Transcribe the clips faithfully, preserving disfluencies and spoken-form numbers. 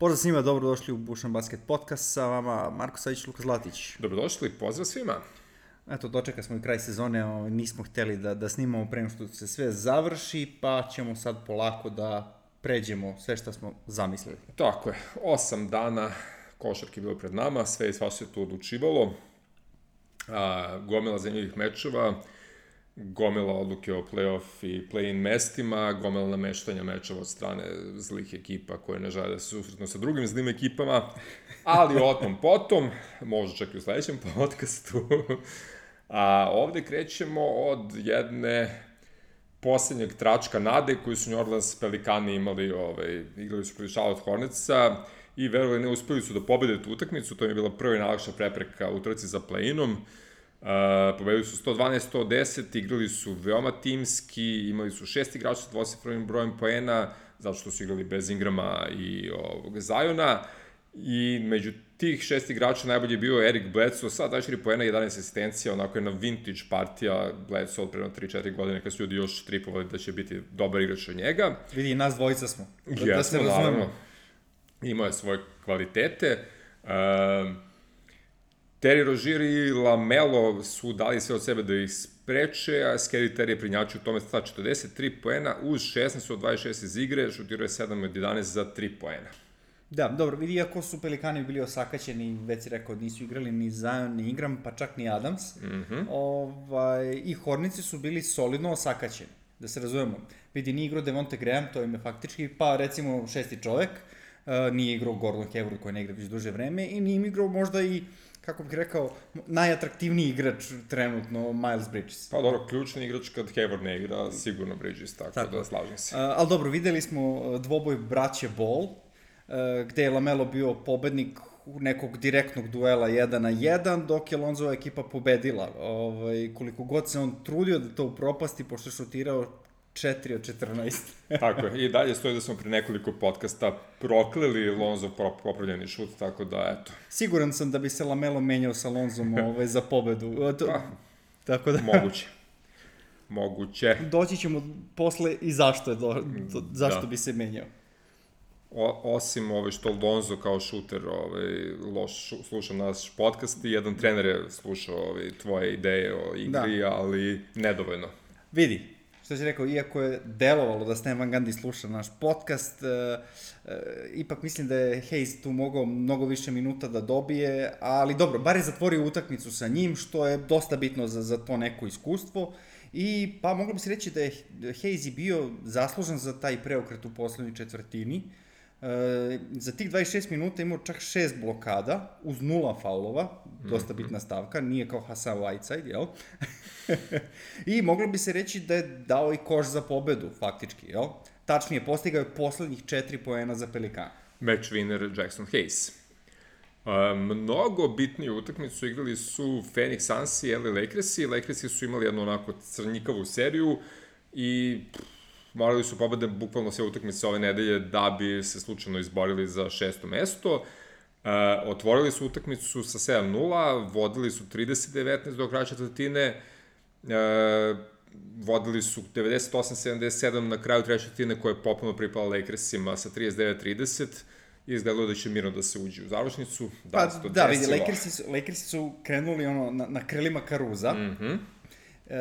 Pozdrav svima, dobrodošli u Bušan Basket Podcast, sa vama Marko Savić, Luka Zlatić. Dobrodošli, pozdrav svima. Eto, dočeka smo i kraj sezone, nismo hteli da, da snimamo pre što se sve završi, pa ćemo sad polako da pređemo sve što smo zamislili. Tako je, osam dana košarke je bilo pred nama, sve i sva se tu odlučivalo, a, gomila zanimljivih mečeva, gomila odluke o play-off i play-in mestima, gomila nameštanja mečeva od strane zlih ekipa koje ne žele da se susretnu sa drugim zlim ekipama, ali o tom potom, možda čak i u sledećem podcastu. A ovde krećemo od jedne poslednjeg tračka nade koju su New Orleans Pelikani imali, ovaj, igrali su protiv Charlotte Hornetsa i verovali ne uspeli su da pobede tu utakmicu, to im je bila prva i najlakša prepreka u trci za play-inom. Uh, pobedili su sto dvanaest sto deset, igrali su veoma timski, imali su šest igrača sa dvocifrenim brojem poena, zato što su igrali bez Ingrama i ovog Zajona, i među tih šest igrača najbolji je bio Eric Bledsoe sa dvadeset četiri poena i jedanaest asistencija, onako je na vintage partija Bledsoe od prema tri četiri godine kad su ljudi još tripovali da će biti dobar igrač od njega. Vidi, i nas dvojica smo. Da, Jesmo, da se naravno. Imao je svoje kvalitete. Uh, Terry Rozier i LaMelo su dali sve od sebe da ih spreče, a Scary Terry je prinjačio u tome sta četrdeset tri poena uz šesnaest od dvadeset šest iz igre, šutirao je sedam od jedanaest za tri poena. Da, dobro, vidi, iako su Pelikani bili osakaćeni, već si rekao, nisu igrali ni Zion, ni Ingram, pa čak ni Adams, mm-hmm. ovaj, i Hornici su bili solidno osakaćeni, da se razumemo. Vidi, nije igrao Devonte Graham, to im je faktički, pa recimo šesti čovek, uh, nije igrao Gordon Hayward koji ne igra već duže vreme, i nije igrao možda i, kako bih rekao, najatraktivniji igrač trenutno, Miles Bridges. Pa dobro, ključni igrač kad Hayward ne igra, sigurno Bridges, tako, tako. Da slažem se. Uh, ali dobro, videli smo dvoboj braće Ball, Uh, gde je LaMelo bio pobednik nekog direktnog duela jedan na jedan, dok je Lonzova ekipa pobedila. Ovaj, koliko god se on trudio da to upropasti, pošto je šutirao četiri od četrnaest. Tako je, i dalje stoji da smo pre nekoliko podcasta prokleli Lonzov popravljeni šut, tako da, eto. Siguran sam da bi se LaMelo menjao sa Lonzom ovaj, za pobedu. To, pa, tako da... Moguće. Moguće. Doći ćemo posle i zašto, je do, do, zašto da. bi se menjao. O, osim ove što Lonzo kao šuter ovaj, loš, šu, slušao naš podcast i jedan trener je slušao ovaj, tvoje ideje o igri, da. ali nedovoljno. Vidi, što si rekao, iako je delovalo da Stan Van Gundy sluša naš podcast, e, e, ipak mislim da je Hayes tu mogao mnogo više minuta da dobije, ali dobro, bar je zatvorio utakmicu sa njim, što je dosta bitno za, za to neko iskustvo. I pa moglo bi se reći da je Hayes bio zaslužan za taj preokret u poslednjoj četvrtini. E, za tih dvadeset šest minuta imao čak šest blokada, uz nula faulova, dosta bitna stavka, nije kao Hassan Whiteside, jel? I moglo bi se reći da je dao i koš za pobedu, faktički, jel? Tačnije, postigao je poslednjih četiri poena za Pelikana. Match winner Jackson Hayes. Uh, mnogo bitniju utakmicu igrali su Phoenix Suns i L A Lakersi. Lakersi su imali jednu onako crnjikavu seriju i pff, morali su pobede bukvalno sve utakmice ove nedelje da bi se slučajno izborili za šesto mesto. Uh, otvorili su utakmicu sa sedam nula, vodili su trideset devetnaest do kraja četvrtine, uh, vodili su devedeset osam sedamdeset sedam na kraju treće četvrtine koja je popuno pripala Lakersima sa trideset devet trideset. I izgledalo da će mirno da se uđe u završnicu. Da, pa to da, vidi, Lakersi su, Lakersi su krenuli ono, na, na krilima Karuza. Mm-hmm. E,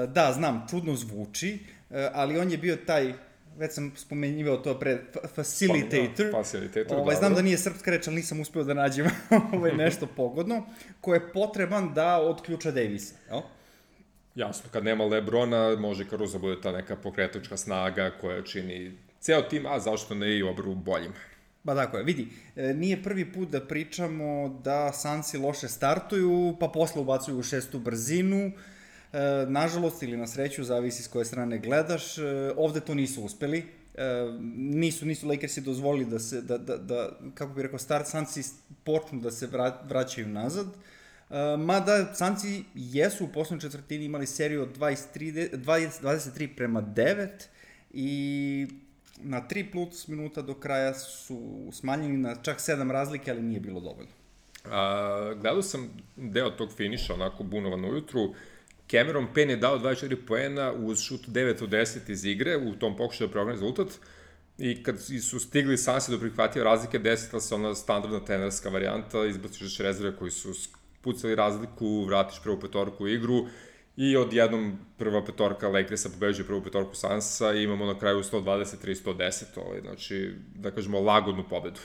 da, znam, čudno zvuči, e, ali on je bio taj, već sam spomenjivao to pre, facilitator. Pa, facilitator, ovaj, znam da nije srpska reč, ali nisam uspeo da nađem ovaj, nešto pogodno, koje je potreban da odključa Davisa, jel? Jasno, kad nema Lebrona, može Karuza bude ta neka pokretačka snaga koja čini ceo tim, a zašto ne i obru boljim. Ba tako je, vidi, nije prvi put da pričamo da Sansi loše startuju, pa posle ubacuju u šestu brzinu, nažalost ili na sreću, zavisi s koje strane gledaš, ovde to nisu uspeli, nisu, nisu Lakersi dozvolili da se, da, da, da kako bih rekao, start Sansi počnu da se vraćaju nazad, mada Sansi jesu u poslednjoj četvrtini imali seriju od dvadeset tri, dvadeset tri prema devet i na tri plus minuta do kraja su smanjeni na čak sedam razlike, ali nije bilo dovoljno. A, gledao sam deo tog finiša, onako bunovan ujutru. Cameron Payne je dao dvadeset četiri poena uz šut devet od deset iz igre, u tom pokušaju da preokrene rezultat. I kad su stigli Sansi do prihvatio razlike, desila se ona standardna trenerska varijanta, izbaciš rezerve koji su pucali razliku, vratiš prvu petorku u igru i odjednom prva petorka Lakersa pobeđuje prvu petorku Sansa i imamo na kraju sto dvadeset tri sto deset, ovaj, znači, da kažemo, lagodnu pobedu.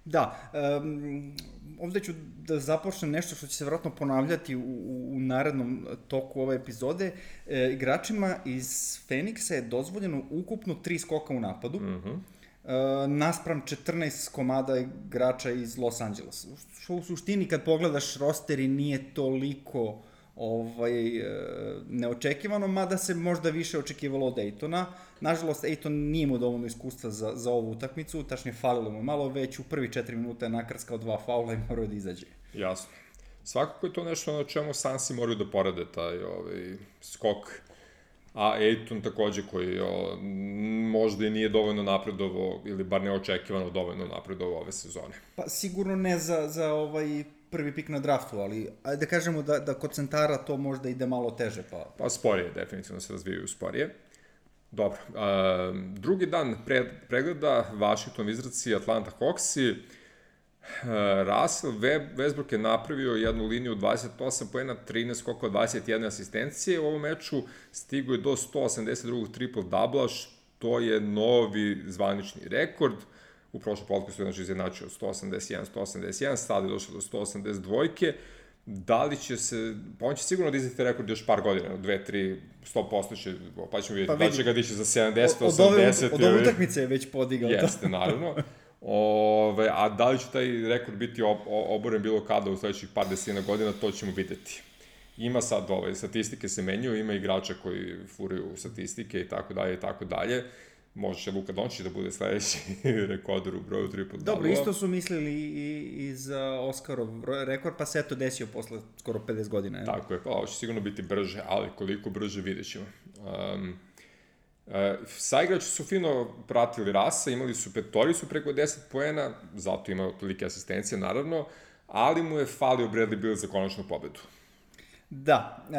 Da, um, ovde ću da započnem nešto što će se vjerojatno ponavljati u, u narednom toku ove epizode. E, igračima iz Feniksa je dozvoljeno ukupno tri skoka u napadu, mm-hmm. e, naspram četrnaest komada igrača iz Los Angelesa. Što u suštini kad pogledaš rosteri nije toliko ovaj, neočekivano, mada se možda više očekivalo od Aytona. Nažalost, Ayton nije imao dovoljno iskustva za, za ovu utakmicu, tačnije falilo mu malo, već u prvi četiri minuta je nakrskao dva faula i morao da izađe. Jasno. Svakako je to nešto na čemu Sansi moraju da porade, taj ovaj, skok. A Ayton takođe koji o, možda i nije dovoljno napredovao, ili bar neočekivano dovoljno napredovao ove sezone. Pa sigurno ne za, za ovaj prvi pik na draftu, ali ajde da kažemo da, da kod centara to možda ide malo teže. Pa, pa sporije, definitivno se razvijaju sporije. Dobro, a, drugi dan pre, pregleda Washington Wizardsi, Atlanta Hawksi. Russell Westbrook je napravio jednu liniju dvadeset osam poena, trinaest skokova, dvadeset jedna asistencije u ovom meču, stigo je do sto osamdeset dva triple-dubla, što je novi zvanični rekord. U prošlom podcastu je znači izjednačio sto osamdeset jedan sto osamdeset jedan, sada je došao do sto osamdeset dva. Da li će se, pa on će sigurno da izdati rekord još par godina, dve, tri, sto posto će, pa ćemo vidjeti, pa da će ga dići za sedamdeset, osamdeset. Od ove utakmice je već podigao to. Jeste, naravno. Ove, a da li će taj rekord biti ob, oboren bilo kada u sledećih par desetina godina, to ćemo videti. Ima sad, ove, statistike se menjaju, ima igrača koji furaju statistike i tako dalje i tako dalje. Može će Luka Dončić da bude sledeći rekorder u broju triple-double. Dobro, isto su mislili i, i za Oscarov rekord, pa se eto desio posle skoro pedeset godina. Je. Tako je, pa ovo će sigurno biti brže, ali koliko brže vidjet ćemo. Um, uh, saigrači su fino pratili Rasa, imali su petoricu preko deset poena, zato imao tolike asistencije, naravno, ali mu je falio Bradley Beal za konačnu pobedu. Da, uh,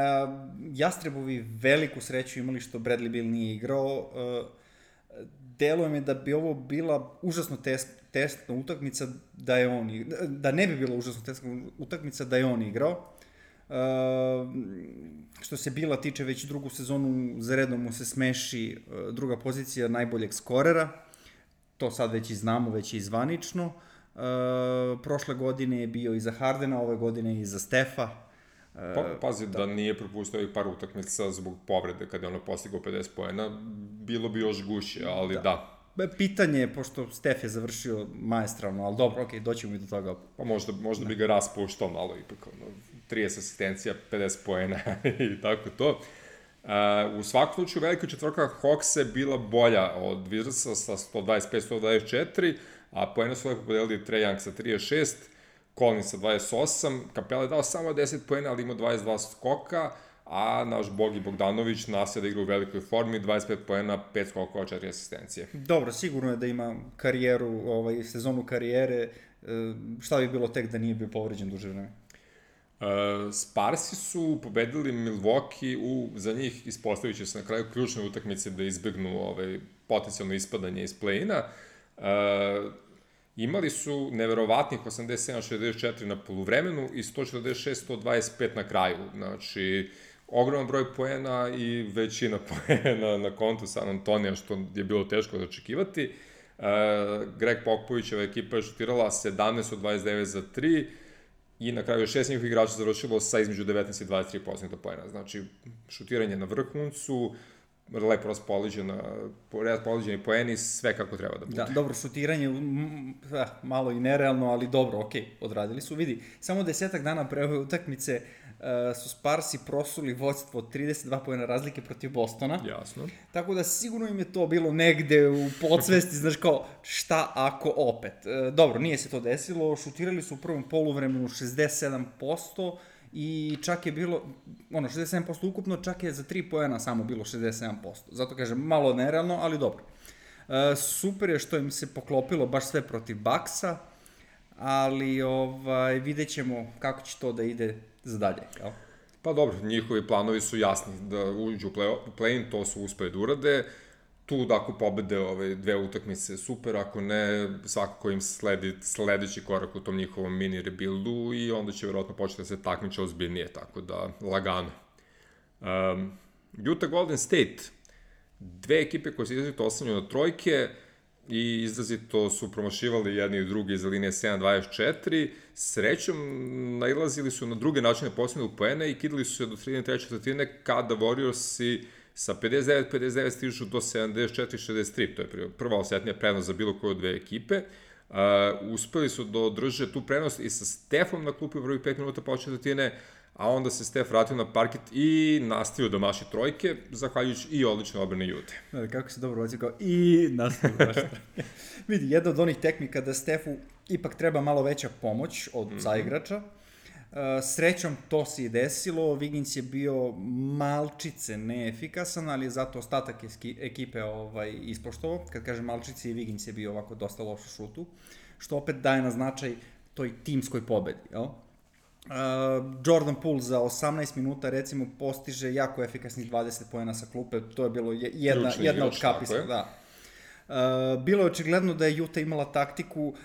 Jastrebovi veliku sreću imali što Bradley Beal nije igrao. Uh, deluje mi da bi ovo bila užasno test, testna utakmica da je on igrao, da ne bi bila užasno testna utakmica da je on igrao. Uh, što se Bila tiče, već drugu sezonu za redom mu se smeši uh, druga pozicija najboljeg skorera. To sad već i znamo, već i zvanično. Uh, prošle godine je bio i za Hardena, ove godine i za Stefa. Pa, pazi, da. da nije propustio ovih par utakmica zbog povrede kada je ono postigao pedeset poena, bilo bi još gušće, ali da. da. Pitanje je, pošto Stef je završio maestralno, ali dobro, okej, okay, doćemo i do toga. Pa možda, možda da. bi ga raspuštao malo ipak, ono, trideset asistencija, pedeset poena i tako to. Uh, u svakom slučaju velika četvorka Hawks je bila bolja od Wizardsa sa sto dvadeset pet sto dvadeset četiri, a poena su lepo podelili Trae Young sa trideset šest, Collins sa dvadeset osam, Capela je dao samo deset poena, ali ima dvadeset dva skoka, a naš Bogi Bogdanović nastavlja da igra u velikoj formi, dvadeset pet poena, pet skokova, četiri asistencije. Dobro, sigurno je da ima karijeru, ovaj, sezonu karijere, šta bi bilo tek da nije bio povređen duže vreme? Uh, Sparsi su pobedili Milwaukee u, za njih ispostavit će se na kraju ključne utakmice da izbegnu ovaj, potencijalno ispadanje iz play-ina. Uh, Imali su neverovatnih osamdeset sedam šezdeset četiri na poluvremenu i sto četrdeset šest sto dvadeset pet na kraju. Znači, ogroman broj poena i većina poena na kontu San Antonija, što je bilo teško da očekivati. Uh, Greg Popovićeva ekipa je šutirala sedamnaest od dvadeset devet za tri i na kraju je šest njihovih igrača završilo sa između devetnaest i dvadeset tri posto poena. Znači, šutiranje na vrhuncu, lepo raspoložena, raspoloženi poeni, sve kako treba da bude. Da, dobro, šutiranje, m, malo i nerealno, ali dobro, okej, okay, odradili su. Vidi, samo desetak dana pre ove utakmice uh, su Sparsi prosuli vodstvo od trideset dva poena razlike protiv Bostona. Jasno. Tako da sigurno im je to bilo negde u podsvesti, znaš kao, šta ako opet. Uh, dobro, nije se to desilo, šutirali su u prvom poluvremenu šezdeset sedam posto, i čak je bilo, ono, šezdeset sedam posto ukupno, čak je za tri poena samo bilo šezdeset sedam posto. Zato kažem, malo nerealno, ali dobro. E, super je što im se poklopilo baš sve protiv Bucksa, ali ovaj, vidjet ćemo kako će to da ide za dalje, jel? Pa dobro, njihovi planovi su jasni, da uđu u play-in, to su uspeli da urade. tu da ako pobede ove dve utakmice super, ako ne, svakako im sledi sledeći korak u tom njihovom mini rebuildu i onda će verovatno početi da se takmiče ozbiljnije, tako da lagano. Um, Utah Golden State, dve ekipe koje se izrazito oslanjaju na trojke i izrazito su promašivali jedni i drugi za linije sedam dvadeset četiri, srećom nailazili su na druge načine posljednog poena i kidali su se do sredine treće četvrtine kada Warriorsi sa pedeset devet pedeset devet stižu do sedamdeset četiri šezdeset tri, to je prva osetnija prednost za bilo koju od dve ekipe. Uh, uspeli su da održe tu prednost i sa Stefom na klupi u prvih pet minuta po četvrtine, a onda se Stef vratio na parket i nastavio da maši trojke, zahvaljujući i odlične odbrane Jute. Da, kako se dobro oci kao i nastavio da maši trojke. Vidi, jedna od onih tehnika da Stefu ipak treba malo veća pomoć od mm-hmm. saigrača. Uh, srećom to se i desilo, Wiggins je bio malčice neefikasan, ali je zato ostatak eski, ekipe ovaj, ispoštovao. Kad kažem malčice, i Wiggins je bio ovako dosta loš u šutu, što opet daje na značaj toj timskoj pobedi, jel? Uh, Jordan Poole za osamnaest minuta recimo postiže jako efikasnih dvadeset poena sa klupe, to je bilo jedna, jedna od kapisa, da. Uh, bilo je očigledno da je Utah imala taktiku uh,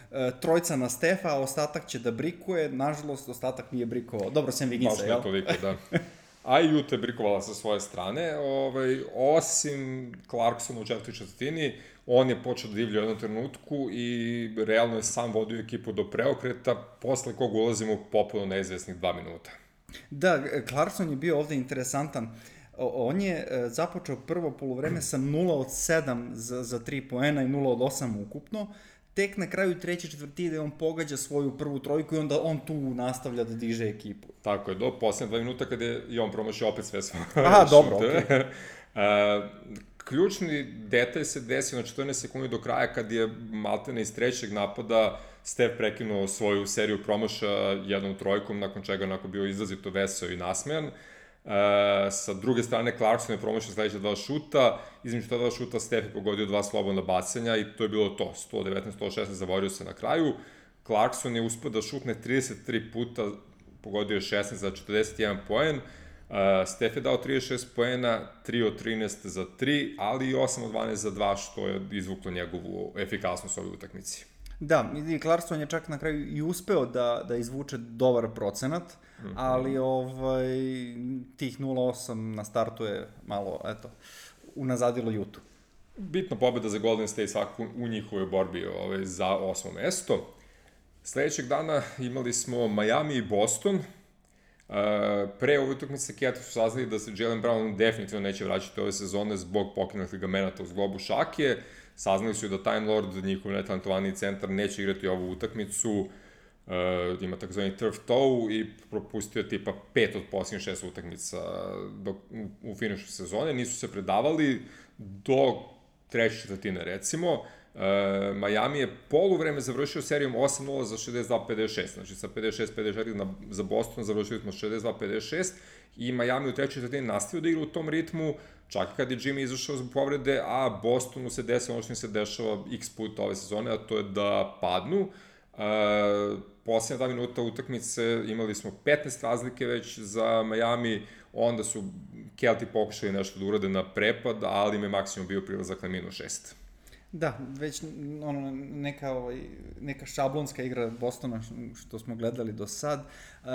trojca na Stefa, a ostatak će da brikuje, nažalost ostatak nije brikovao, dobro sem Wigginsa, jel? Baš ne toliko, da. A i Utah je brikovala sa svoje strane, ovaj, osim Clarksona u četvrtoj četvrtini, on je počeo da divlja u jednom trenutku i realno je sam vodio ekipu do preokreta, posle kog ulazimo popuno neizvesnih dva minuta. Da, Clarkson je bio ovde interesantan. On je započeo prvo poluvreme sa nula od sedam za, za tri poena i nula od osam ukupno. Tek na kraju treće četvrtine on pogađa svoju prvu trojku i onda on tu nastavlja da diže ekipu. Tako je, do posljednje dva minuta kada je i on promašio opet sve svoje šute. Aha, dobro, okej. Okay. uh, ključni detalj se desio na četrnaest sekundi do kraja kad je maltene iz trećeg napada Steph prekinuo svoju seriju promaša jednom trojkom, nakon čega onako bio izrazito veseo i nasmejan. Uh, sa druge strane, Clarkson je promašao sledeća dva šuta, između ta dva šuta Steph je pogodio dva slobodna bacanja i to je bilo to, sto devetnaest sto šesnaest zavorio se na kraju. Clarkson je uspio da šutne trideset tri puta, pogodio je šesnaest za četrdeset jedan poen. Uh, Steph je dao trideset šest poena, tri od trinaest za tri, ali i osam od dvanaest za dva, što je izvuklo njegovu efikasnost u ovoj utakmici. Da, i Clarkson je čak na kraju i uspeo da, da izvuče dobar procenat, mm-hmm. ali ovaj, tih nula osam na startu je malo, eto, unazadilo Utah. Bitna pobeda za Golden State svakako u njihovoj borbi ovaj, za osmo mesto. Sledećeg dana imali smo Miami i Boston. Uh, pre ove utakmice Kjeti su saznali da se Jaylen Brown definitivno neće vraćati ove sezone zbog pokinutih ligamenata uz globu šake. Saznali su da Time Lord, njihov netalentovaniji centar, neće igrati ovu utakmicu, uh, ima takozvani turf toe i propustio tipa pet od posljednjih šest utakmica do, u, u finišu sezone. Nisu se predavali do treće četvrtine recimo. Uh, Miami je poluvreme završio serijom osam nula za šezdeset dva pedeset šest, znači sa pedeset šest pedeset četiri na, za Boston završili smo šezdeset dva pedeset šest i Miami u trećoj četvrtini nastavio da igra u tom ritmu, čak kad je Jimmy izašao zbog povrede, a Bostonu se desilo ono što im se dešava x puta ove sezone, a to je da padnu. Uh, posljednja dva minuta utakmice imali smo petnaest razlike već za Miami, onda su Kelti pokušali nešto da urade na prepad, ali im je maksimum bio prilazak na minus šest. Da, već ono, neka, ovaj, neka šablonska igra Bostona što smo gledali do sad, uh,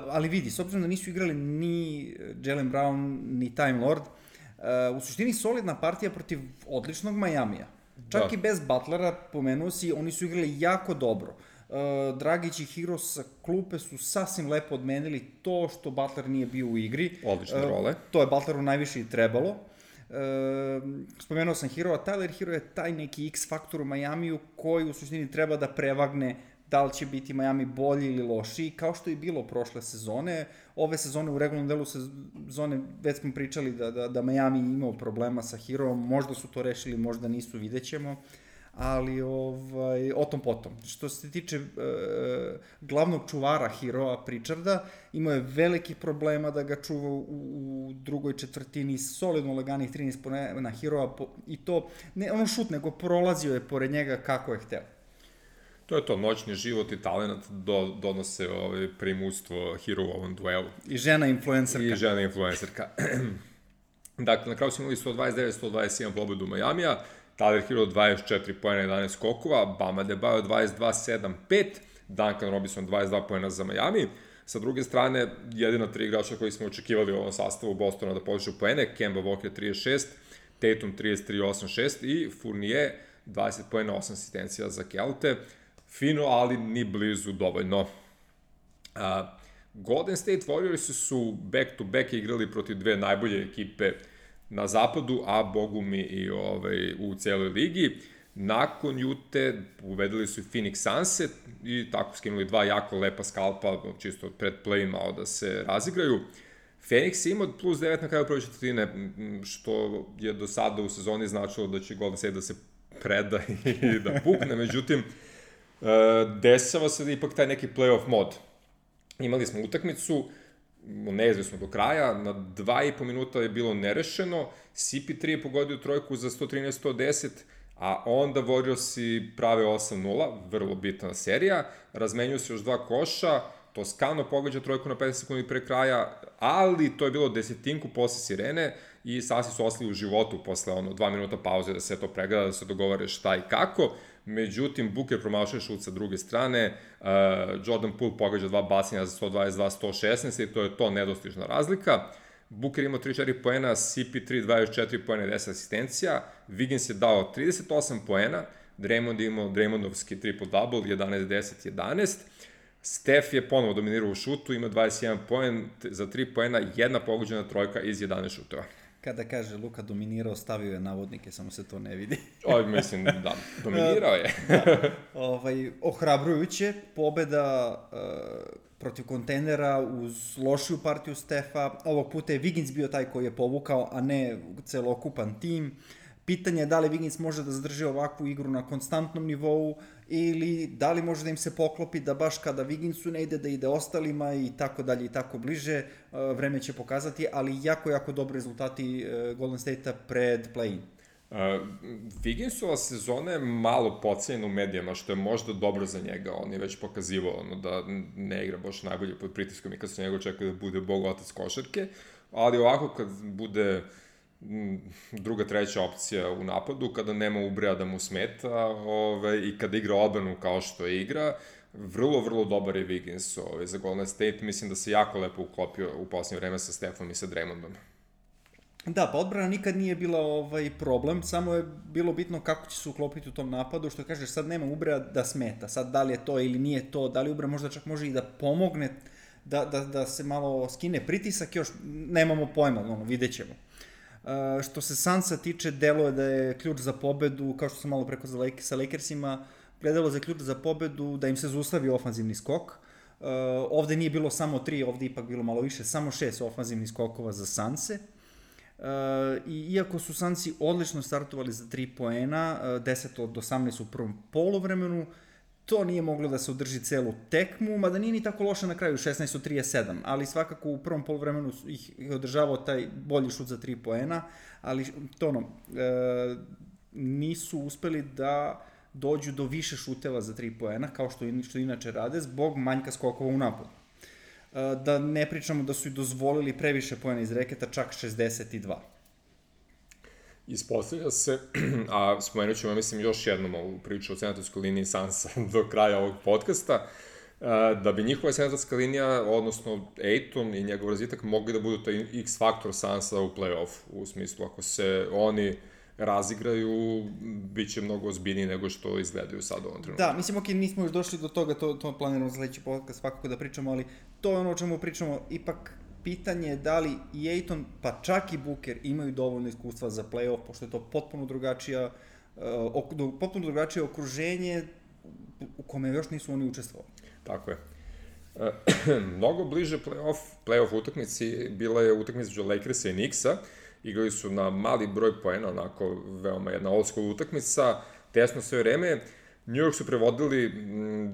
ali vidi, s obzirom da nisu igrali ni Jaylen Brown, ni Time Lord, uh, u suštini solidna partija protiv odličnog Majamija. Čak da. I bez Butlera, pomenuo si, oni su igrali jako dobro. Uh, Dragić i Hero sa klupe su sasvim lepo odmenili to što Butler nije bio u igri. Odlične uh, role. To je Butleru najviše i trebalo. Uh, spomenuo sam Hero, a Tyler Hero je taj neki X faktor u Majamiju koji u suštini treba da prevagne da li će biti Miami bolji ili lošiji, kao što je bilo prošle sezone. Ove sezone u regularnom delu sezone već smo pričali da, da, da Miami imao problema sa Hero, možda su to rešili, možda nisu, vidjet ćemo, ali ovaj, o tom potom. Što se tiče e, glavnog čuvara Heroa, Pritcharda, imao je velikih problema da ga čuva u, u drugoj četvrtini, solidno laganih trinaest na Heroa i to, ne ono šut, nego prolazio je pored njega kako je hteo. To je to, noćni život i talent do, donose ovaj primustvo Hero u ovom duelu. I žena influencerka. I žena influencerka. Dakle, na kraju smo imali sto dvadeset devet sto dvadeset jedan pobedu Majamija, Tyler Hero dvadeset četiri poena, jedanaest skokova, Bama Adebayo dvadeset dva sedam pet, Duncan Robinson dvadeset dva poena za Miami. Sa druge strane, jedina tri igrača koji smo očekivali u ovom sastavu Bostona da podižu poene, Kemba Walker trideset šest, Tatum trideset tri osam šest i Fournier dvadeset poena, osam asistencija za Kelte. Fino, ali ni blizu dovoljno. Uh, Golden State Warriors su back-to-back igrali protiv dve najbolje ekipe na zapadu, a bogu mi i ovaj, u celoj ligi. Nakon Jute uvedili su Phoenix Sunset i tako skinuli dva jako lepa skalpa, čisto pred play malo da se razigraju. Phoenix ima plus devet na kraju prve četvrtine, što je do sada u sezoni značilo da će Golden State da se preda i da pukne, međutim, desava se da ipak taj neki playoff mod. Imali smo utakmicu, neizvesno do kraja, na dva i po minuta je bilo nerešeno, C P tri je pogodio trojku za sto trinaest sto deset, a onda Warriorsi prave osam nula, vrlo bitna serija, razmenjuju se još dva koša, Toscano pogađa trojku na petnaest sekundi pre kraja, ali to je bilo desetinku posle sirene i sasvim su ostali u životu posle ono, dva minuta pauze da se to pregleda, da se dogovore šta i kako. Međutim, Booker promašuje šut sa druge strane, uh, Jordan Poole pogađa dva bacanja za sto dvadeset dva sto šesnaest i to je to nedostižna razlika. Booker imao trideset četiri poena, C P tri dvadeset četiri poena i deset asistencija, Wiggins je dao trideset osam poena, Draymond je imao Draymondovski triple-double, jedanaest deset jedanaest, Steph je ponovo dominirao u šutu, ima dvadeset jedan poen za tri poena, jedna pogođena trojka iz jedanaest šutova. Kada kaže Luka dominirao, stavio je navodnike, samo se to ne vidi. Oj, mislim, da, dominirao je. da, ovaj, ohrabrujuće, pobeda uh, protiv kontejnera uz lošiju partiju Stefa. Ovog puta je Wiggins bio taj koji je povukao, a ne celokupan tim. Pitanje je da li Wiggins može da zadrži ovakvu igru na konstantnom nivou ili da li može da im se poklopi da baš kada Wigginsu ne ide da ide ostalima i tako dalje i tako bliže. Vreme će pokazati, ali jako, jako dobri rezultati Golden State-a pred play-in. Uh, Wigginsova sezona je malo pocenjena u medijama, što je možda dobro za njega. On je već pokazivao ono, da ne igra baš najbolje pod pritiskom i kad se njega očekuje da bude bog otac košarke, ali ovako kad bude druga, treća opcija u napadu, kada nema Ubrea da mu smeta ove, i kada igra odbranu kao što je igra, vrlo, vrlo dobar je Wiggins ove, za Golden State. Mislim da se jako lepo uklopio u posljednje vreme sa Stephom i sa Draymondom. Da, pa odbrana nikad nije bila ovaj problem, samo je bilo bitno kako će se uklopiti u tom napadu, što kažeš, sad nema Ubrea da smeta, sad da li je to ili nije to, da li Ubrea možda čak može i da pomogne, da, da, da se malo skine pritisak, još nemamo pojma, ono, vidjet ćemo. Uh, što se Sunsa tiče, delo je da je ključ za pobedu, kao što sam malo preko za Lake, sa Lakersima, gledalo za ključ za pobedu, da im se zaustavi ofanzivni skok. Uh, ovde nije bilo samo tri, ovde ipak bilo malo više, samo šest ofanzivnih skokova za Sunse. Uh, I iako su Sunsi odlično startovali za tri poena, uh, deset od osamnaest u prvom poluvremenu, to nije moglo da se održi celu tekmu, mada nije ni tako loše na kraju, šesnaest od trideset sedam, ali svakako u prvom poluvremenu ih je održavao taj bolji šut za tri poena, ali to ono, e, nisu uspeli da dođu do više šuteva za tri poena, kao što, što inače rade, zbog manjka skokova u napadu. E, da ne pričamo da su i dozvolili previše poena iz reketa, čak šezdeset dva. Ispostavlja se, a spomenut ćemo, mislim, još jednom ovu priču o centarskoj liniji Sansa do kraja ovog podcasta, da bi njihova centarska linija, odnosno Ayton i njegov razvitak, mogli da budu taj X-faktor Sansa u play-off, u smislu, ako se oni razigraju, bit će mnogo ozbiljniji nego što izgledaju sad u ovom trenutku. Da, mislim, ok, nismo još došli do toga, to, to planiramo za sledeći podcast svakako da pričamo, ali to je ono o čemu pričamo, ipak pitanje je da li i Ayton, pa čak i Booker imaju dovoljno iskustva za play-off, pošto je to potpuno drugačija, uh, potpuno drugačije okruženje u kome još nisu oni učestvovali. Tako je. E, mnogo bliže play-off, play-off utakmici bila je utakmica među Lakersa i Knicksa. Igrali su na mali broj poena, onako veoma jedna old school utakmica, tesno sve vreme. New York su prevodili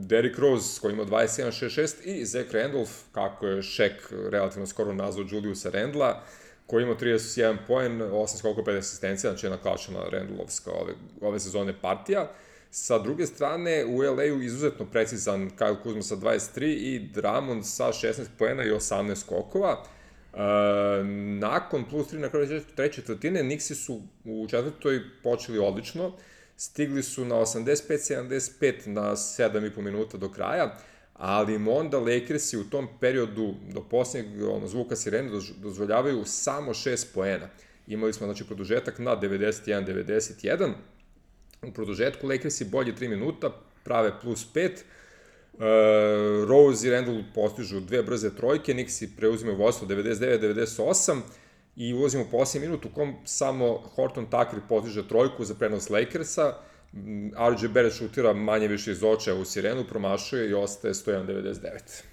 Derrick Rose koji ima dvadeset jedan šezdeset šest i Zach Randolph, kako je Shaq relativno skoro nazvao Juliusa Randla, koji ima trideset jedan poen, osam skokova, pet asistencija, znači jedna klasična Randolphska ove, ove sezone partija. Sa druge strane, u L A-u izuzetno precizan Kyle Kuzma sa dvadeset tri i Drummond sa šesnaest poena i osamnaest skokova. Uh, nakon plus tri na kraju treće četvrtine, Knicksi su u četvrtoj počeli odlično, stigli su na osamdeset pet sedamdeset pet na sedam i po minuta do kraja, ali im onda Lakersi u tom periodu do posljednjeg ono, zvuka sirene dozvoljavaju samo šest poena. Imali smo znači produžetak na devedeset jedan devedeset jedan, u produžetku Lakersi bolje tri minuta, prave plus pet, Uh, Rose i Randall postižu dve brze trojke, Knicksi preuzimaju vodstvo devedeset devet devedeset osam i ulazimo u posljednji minut u kom samo Horton Tucker postiže trojku za prenos Lakersa, R J Barrett šutira manje više iz očaja u sirenu, promašuje i ostaje sto jedan devedeset devet.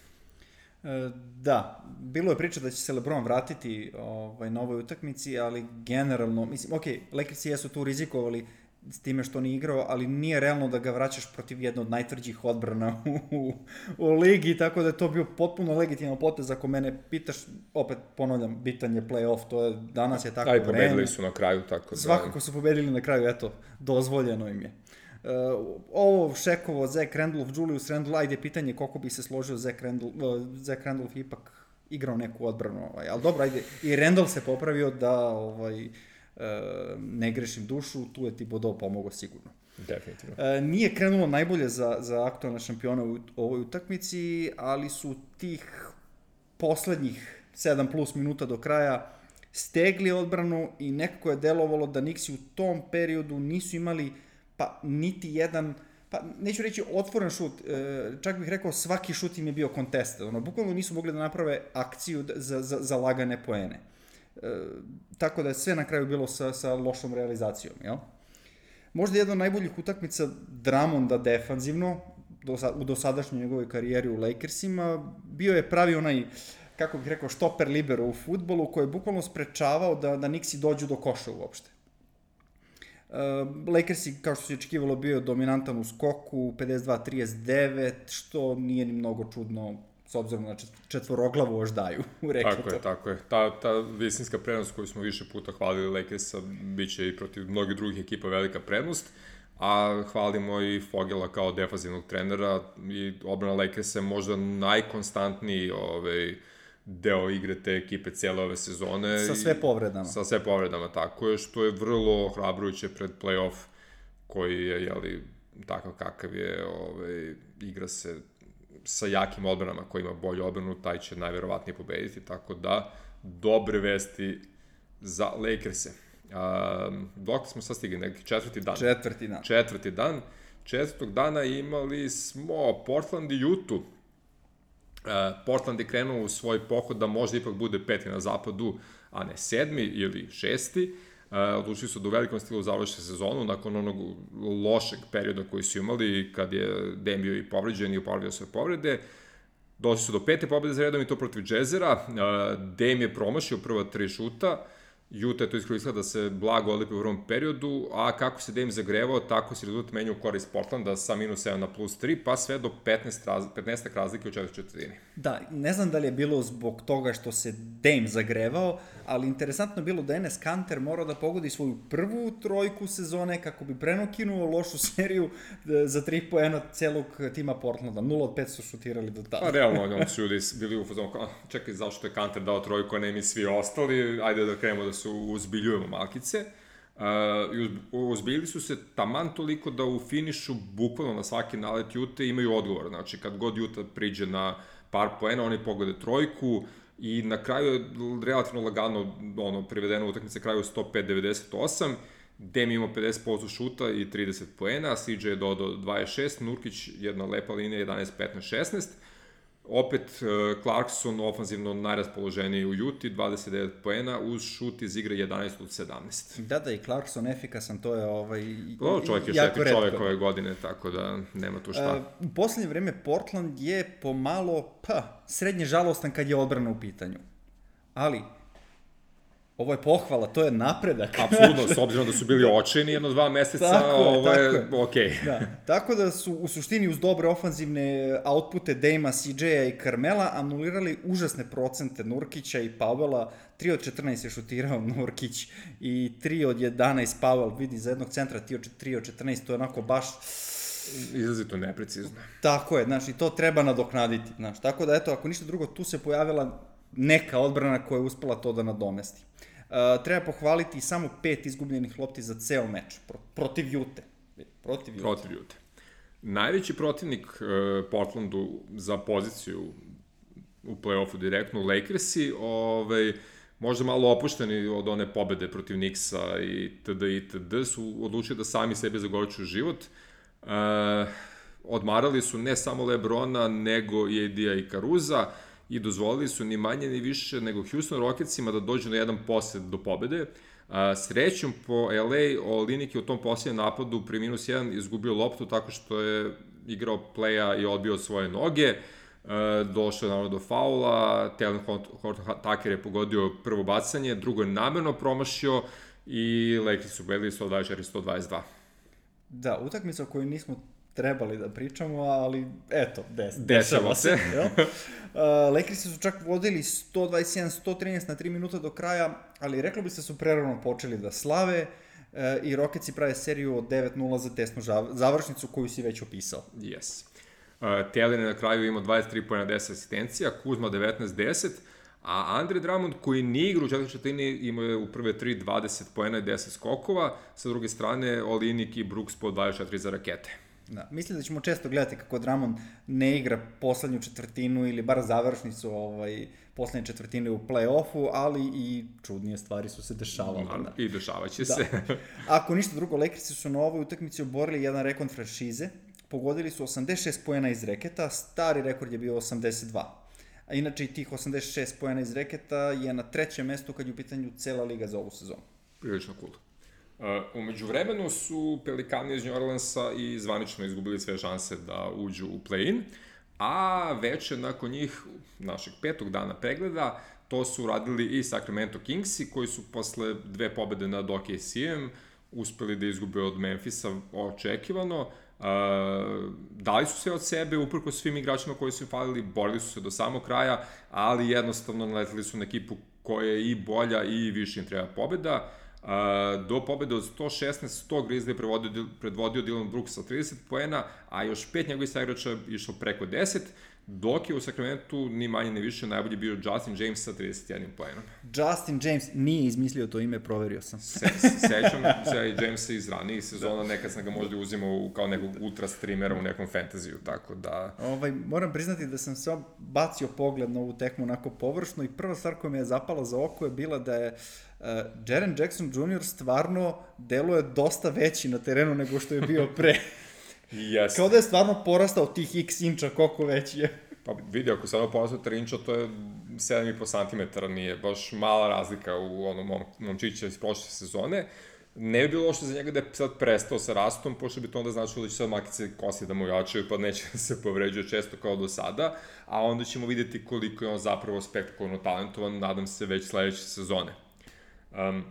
E, da, bilo je priča da će se LeBron vratiti ovaj, na ovoj utakmici, ali generalno, mislim, ok, Lakersi jesu tu rizikovali s time što nije igrao, ali nije realno da ga vraćaš protiv jedne od najtvrđih odbrana u, u, u ligi, tako da je to bio potpuno legitiman potez. Ako mene pitaš, opet ponavljam, bitan je play-off, to je, danas je tako vreme. A i pobedili su na kraju, tako da... Svakako su pobedili na kraju, eto, dozvoljeno im je. Uh, ovo Šekovo, Zach Randolph, Julius Randle, ajde pitanje koliko bi se složio Zach Randolph, uh, Zach Randolph ipak igrao neku odbranu, ovaj, ali dobro, ajde, i Randle se popravio da, ovaj, Uh, ne grešim dušu, tu je Thibodeau pomogao sigurno. Definitivno. Uh, nije krenulo najbolje za, za aktualne šampione u ovoj utakmici, ali su tih poslednjih sedam plus minuta do kraja stegli odbranu i nekako je delovalo da Knicksi u tom periodu nisu imali pa niti jedan, pa neću reći otvoren šut, čak bih rekao svaki šut im je bio contested, ono, bukvalno nisu mogli da naprave akciju za, za, za lagane poene. E, tako da je sve na kraju bilo sa, sa lošom realizacijom, jel? Možda jedna od najboljih utakmica Drummonda defanzivno do, u dosadašnjoj njegovoj karijeri u Lakersima, bio je pravi onaj, kako bih rekao, štoper libero u fudbalu koji je bukvalno sprečavao da, da Knicksi dođu do koša uopšte. Uh, Lakersi, kao što se očekivalo, bio dominantan u skoku, pedeset dva trideset devet, što nije ni mnogo čudno s obzirom na četvoroglavu oždaju u reketu. Tako je, tako je. Ta, ta visinska prednost koju smo više puta hvalili Lakersa, bit će i protiv mnogih drugih ekipa velika prednost, a hvalimo i Fogela kao defanzivnog trenera i odbrana Lakersa je možda najkonstantniji ovaj, deo igre te ekipe cijele ove sezone. Sa sve povredama. Sa sve povredama, tako je, što je vrlo ohrabrujuće pred play-off koji je, jeli, takav kakav je, ovaj, igra se sa jakim odbranama koji ima bolju odbranu, taj će najverovatnije pobediti, tako da dobre vesti za Lakerse. Um, dok smo sad stigli, neki četvrti dan. Četvrti dan. Četvrti dan. Četvrtog dana imali smo Portland i Utah. Uh, Portland je krenuo u svoj pohod da možda ipak bude peti na zapadu, a ne sedmi ili šesti. Uh, odlučili su da u velikom stilu završe sezonu nakon onog lošeg perioda koji su imali kad je Dame bio i povređen i uporavio sve povrede. Došli su do pete pobjede za redom i to protiv Jazzera. Uh, Dame je promašio prva tri šuta. Utah je to iskoristila da se blago odlipi u prvom periodu, a kako se Dame zagrevao, tako se rezultat menja u korist Portlanda sa minus sedam na plus tri, pa sve do petnaest, raz, petnaest razlike u četvrtoj četvrtini. Da, ne znam da li je bilo zbog toga što se Dame zagrevao, ali interesantno je bilo da Enes Kanter morao da pogodi svoju prvu trojku sezone kako bi prenokinuo lošu seriju za tri poena celog tima Portlanda. nula od pet su šutirali do tada. Pa realno, oni su ljudi bili u fazonu, čekaj, zašto je Kanter dao trojku, a ne mi svi ostali, ajde da krenemo da su uzbiljujemo malkice. Uh, uzbiljili su se taman toliko da u finišu, bukvalno na svaki nalet Utah imaju odgovor. Znači, kad god Utah priđe na par poena, oni pogode trojku i na kraju je relativno lagano ono, privedeno utakmice kraju sto pet devedeset osam. Dame ima pedeset posto šuta i trideset poena, C J je dodao dvadeset šest, Nurkić jedna lepa linija jedanaest petnaest šesnaest. Opet Clarkson ofanzivno najraspoloženiji u Juti, dvadeset devet poena, uz šut iz igre jedanaest od sedamnaest. Da, da, i Clarkson efikasan, to je ovaj, o, čovjek je šeti čovjek ove godine, tako da nema tu šta. Uh, u poslednje vreme Portland je pomalo, pa, srednje žalostan kad je odbrana u pitanju. Ali, ovo je pohvala, to je napredak. Apsolutno, s obzirom da su bili očajni jedno dva meseca, tako, ovo je, je. okej. Okay. Da. Tako da su u suštini uz dobre ofanzivne outpute Dejma, C J-a i Carmela anulirali užasne procente Nurkića i Powella. tri od četrnaest je šutirao Nurkić i tri od jedanaest Powell, vidi za jednog centra tri od četrnaest, to je onako baš... Izrazito neprecizno. Tako je, znaš, i to treba nadoknaditi, znaš. Tako da, eto, ako ništa drugo, tu se pojavila neka odbrana koja je uspela to da nadomesti. Uh, treba pohvaliti samo pet izgubljenih lopti za ceo meč, pro, protiv Jute. Protiv Jute. Protiv Jute. Najveći protivnik uh, Portlandu za poziciju u play-offu direktno, Lakersi, ovaj, možda malo opušteni od one pobede protiv Knicksa i td. itd. su odlučili da sami sebe zagorčuju život. Uh, odmarali su ne samo Lebrona, nego i A D-a i Caruza i dozvolili su ni manje ni više nego Houston Rocketsima da dođu na jedan posjed do pobede. Uh, srećom po L A, Olynyk je u tom posljednjem napadu pri minus jedan izgubio loptu tako što je igrao playa i odbio svoje noge. Uh, došao je naravno do faula, Taylor Horton-Tucker je pogodio prvo bacanje, drugo je namerno promašio i Lakers su bedili sto dvadeset četiri sto dvadeset dva. Da, utakmica o kojoj nismo trebali da pričamo, ali eto, des, dešava se. se uh, Lakersi su čak vodili sto dvadeset jedan sto trinaest na tri minuta do kraja, ali reklo bi se su prerano počeli da slave uh, i Rocketsi prave seriju od devet nula za tesnu završnicu koju si već opisao. Yes. Uh, Taylor je na kraju imao dvadeset tri poena, deset asistencija, Kuzma devetnaest deset, a Andre Drummond koji nije igra u četvrtoj četvrtini imao je u prve tri dvadeset poena i deset skokova, sa druge strane Olynyk i Brooks po dvadeset četiri za rakete. Da, mislim da ćemo često gledati kako Drummond ne igra poslednju četvrtinu ili bar završnicu ovaj, poslednje četvrtine u play-offu, ali i čudnije stvari su se dešavale. Da, i dešavaće da. se. Ako ništa drugo, Lakersi su na ovoj utakmici oborili jedan rekord franšize, pogodili su osamdeset šest poena iz reketa, stari rekord je bio osamdeset dva. A inače i tih osamdeset šest poena iz reketa je na trećem mestu kad je u pitanju cela liga za ovu sezonu. Prilično cool. Uh, umeđu vremenu su Pelikani iz New Orleansa i zvanično izgubili sve šanse da uđu u play-in, a veče nakon njih, našeg petog dana pregleda, to su uradili i Sacramento Kingsi, koji su posle dve pobede nad O K C-em uspeli da izgube od Memphisa očekivano. Uh, dali su sve od sebe, uprko svim igračima koji su im falili, borili su se do samog kraja, ali jednostavno naletili su na ekipu koja je i bolja i više im treba pobeda. Uh, do pobede od sto šesnaest sto Grizzly je predvodio, predvodio Dillon Brooks sa trideset poena, a još pet njegovih igrača išlo preko deset, dok je u Sacramentu ni manje ni više najbolji bio Justin James sa trideset jedan poenom. Justin James nije izmislio to ime, proverio sam. Se, sećam se i Jamesa iz ranijih sezona, nekad sam ga možda uzimao kao nekog ultra streamera u nekom fantaziju, tako da... Ovaj, moram priznati da sam se bacio pogled na ovu tekmu onako površno i prva stvar koja me je zapala za oko je bila da je uh, Jaren Jackson junior stvarno deluje dosta veći na terenu nego što je bio pre. Yes. Kao da je stvarno porastao tih x inča, koliko veći je. Pa vidi, ako je stvarno porastao tri inča, to je sedam i po santimetara, nije baš mala razlika u onom mom, momčića iz prošle sezone. Ne bi bilo loše za njega da je sad prestao sa rastom, pošto bi to onda značilo da će sad makice kosi da mu jačaju, pa neće da se povređuje često kao do sada, a onda ćemo vidjeti koliko je on zapravo spektakularno talentovan, nadam se već sledeće sezone. Um,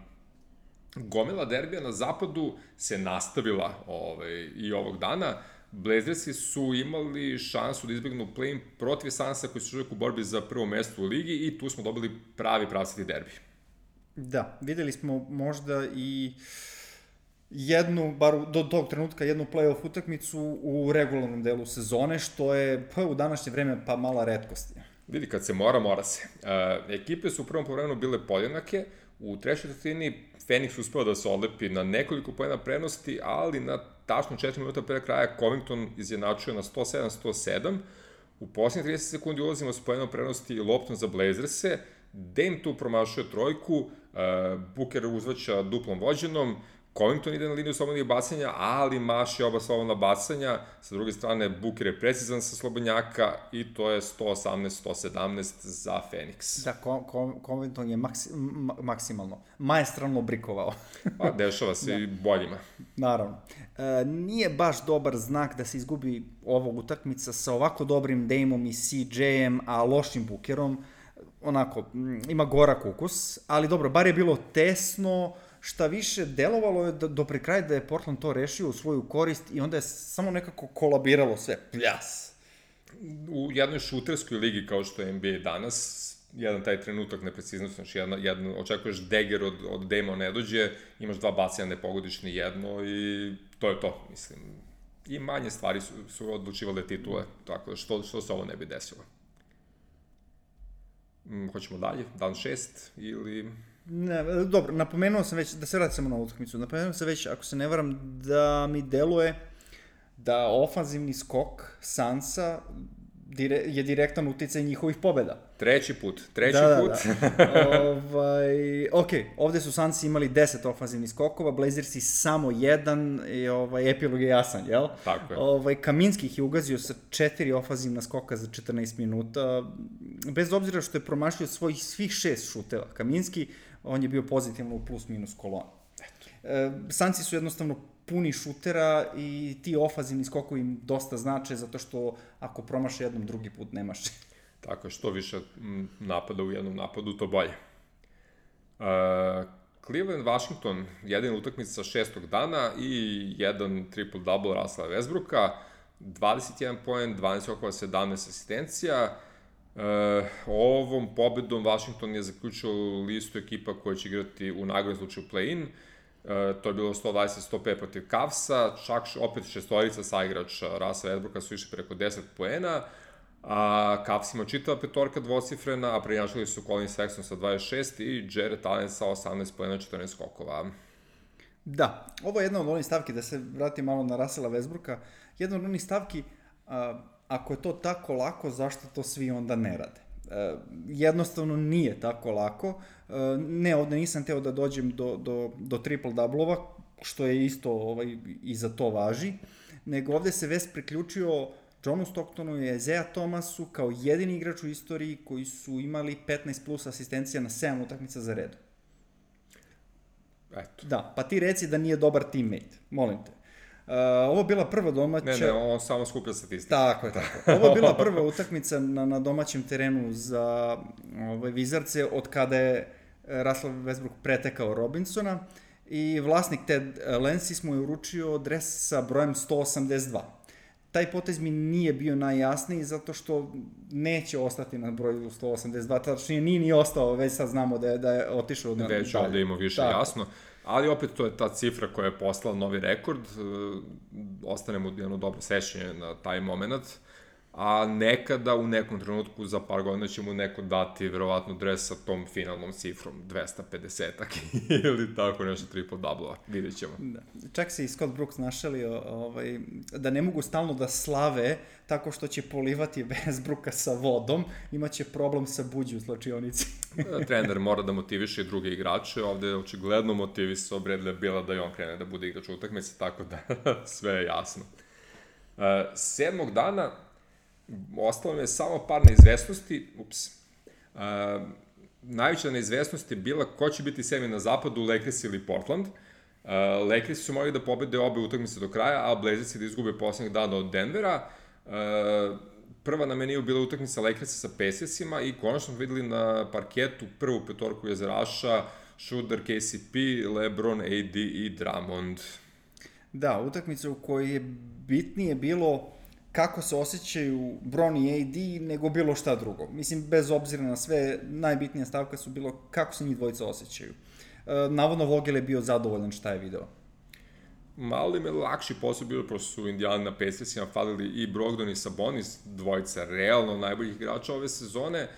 Gomila derbija na zapadu se nastavila ovaj, i ovog dana. Blazersi su imali šansu da izbjegnu play-in protiv Sansa koji su uvijek u borbi za prvo mesto u ligi i tu smo dobili pravi pravcati derbi. Da, videli smo možda i jednu, bar do tog trenutka, jednu play-off utakmicu u regularnom delu sezone, što je pa, u današnje vreme pa mala retkost. Vidi, kad se mora, mora se. Uh, ekipe su u prvom povremenu bile podjednake, u trećoj četvrtini Phoenix uspeo da se odlepi na nekoliko poena prednosti, ali na tačno četiri minuta pre kraja Covington izjednačuje na sto sedam sto sedam. U posljednjih trideset sekundi ulazimo s poenom prednosti i loptom za Blazerse. Dame tu promašuje trojku, uh, Booker uzvaća duplom vođenom, Covington ide na liniju slobodnih bacanja, ali maši oba slobodna bacanja. Sa druge strane, Booker je precizan sa slobodnjaka i to je sto osamnaest sto sedamnaest za Phoenix. Da, Covington je maksi, maksimalno, maestralno brikovao. Pa, dešava se da. I boljima. Naravno. E, nije baš dobar znak da se izgubi ovog utakmica sa ovako dobrim Dameom i C J-em, a lošim Bookerom. Onako, ima gorak ukus, ali dobro, bar je bilo tesno. Šta više, delovalo je do, do pri kraja da je Portland to rešio u svoju korist i onda je samo nekako kolabiralo sve. Pljas! U jednoj šuterskoj ligi kao što je N B A danas, jedan taj trenutak nepreciznosti, znači jedan, jedan, očekuješ dagger od, od Dama ne dođe, imaš dva bacanja, ne pogodiš ni jedno i to je to, mislim. I manje stvari su, su odlučivale titule, tako da što, što se ovo ne bi desilo. Hoćemo dalje, dan šest ili... Ne, dobro, napomenuo sam već, da se vratim samo na utakmicu, napomenuo sam već, ako se ne varam, da mi deluje da ofanzivni skok Sansa dire, je direktan uticaj njihovih pobeda. Treći put, treći da, put. Da, da. ovaj, ok, ovde su Sansi imali deset ofanzivnih skokova, Blazersi samo jedan, i ovaj, epilog je jasan, jel? Tako je. Ovaj, Kaminski ih je ugazio sa četiri ofanzivna skoka za četrnaest minuta, bez obzira što je promašio svojih svih šest šuteva. Kaminski, on je bio pozitivno u plus minus kolonu. E, Sansi su jednostavno puni šutera i ti ofanzivni skokovi im dosta znače, zato što ako promaše jednom, drugi put nemaš. Tako je, što više napada u jednom napadu, to bolje. Uh, Cleveland-Washington, jedina utakmica sa šestog dana i jedan triple-double Russella Westbrooka, dvadeset jedan poen, dvanaest skokova, sedamnaest asistencija. Uh, ovom pobedom Washington je zaključio listu ekipa koja će igrati u najgorem slučaju play-in. Uh, to je bilo sto dvadeset sto pet protiv Cavsa, čak opet šestorica saigrača Russella Westbrooka su išli preko deset poena, a Cavs ima čitava petorka dvocifrena, a prednjačili su Colin Sexton sa dvadeset šest i Jarrett Allen sa osamnaest poena, četrnaest skokova. Da, ovo je jedna od onih stavki, da se vratim malo na Russella Westbrooka, jedna od onih stavki, a, ako je to tako lako, zašto to svi onda ne rade? E, jednostavno nije tako lako. E, ne, ovde nisam teo da dođem do, do, do triple-doublova, što je isto ovaj, i za to važi, nego ovde se West priključio Johnu Stocktonu i Isaiah Thomasu kao jedini igrač u istoriji koji su imali petnaest plus asistencija na sedam utakmica za redu. Eto. Da, pa ti reci da nije dobar teammate, molim te. Uh, ovo je bila prva domaća... Ne, ne, on samo skuplja statistike. Tako je, tako. Ovo je bila prva utakmica na, na domaćem terenu za ove Wizardse od kada je Russell Westbrook pretekao Robinsona i vlasnik Ted Lensis mu je uručio dres sa brojem sto osamdeset dva. Taj potez mi nije bio najjasniji zato što neće ostati na broju sto osamdeset dva, tačnije nije ni ostao, već sad znamo da je, da je otišao na već dalje. Ovde ima više tako. Jasno, ali opet to je ta cifra koja je poslala novi rekord, ostanemo jedno dobro sećanje na taj moment, a nekada u nekom trenutku za par godina će mu neko dati verovatno dres sa tom finalnom cifrom, dvesta pedesetak ili tako nešto triple-double-a, vidjet ćemo. Da. Čak se i Scott Brooks našalio ovaj, da ne mogu stalno da slave tako što će polivati Westbrooka sa vodom, imaće problem sa buđi u slačionici. Trener mora da motiviše i druge igrače, ovde je očigledno motivisao Bradley Bila da i on krene da bude igrač utakmice, tako da sve je jasno. Uh, sedmog dana ostalo mi je samo par neizvesnosti, ups, uh, najveća neizvesnost je bila ko će biti sedmi na zapadu, Lakers ili Portland. Uh, Lakers su morali da pobede obe utakmice do kraja, a Blazersi da izgube poslednjeg dana od Denvera. Uh, prva na meniju bila utakmica Lakersa sa Pacersima i konačno videli na parketu prvu petorku jezeraša, Schroeder, K C P, LeBron, A D i Drummond. Da, utakmica u kojoj je bitnije bilo kako se osjećaju Bron i A D nego bilo šta drugo. Mislim, bez obzira na sve, najbitnija stavka su bilo kako se njih dvojica osjećaju. E, navodno Vogel je bio zadovoljan šta je video. Malo im je lakši posao bilo, prosto su Indiana na Pacersima falili i Brogdon i Sabonis, dvojica realno najboljih igrača ove sezone. E,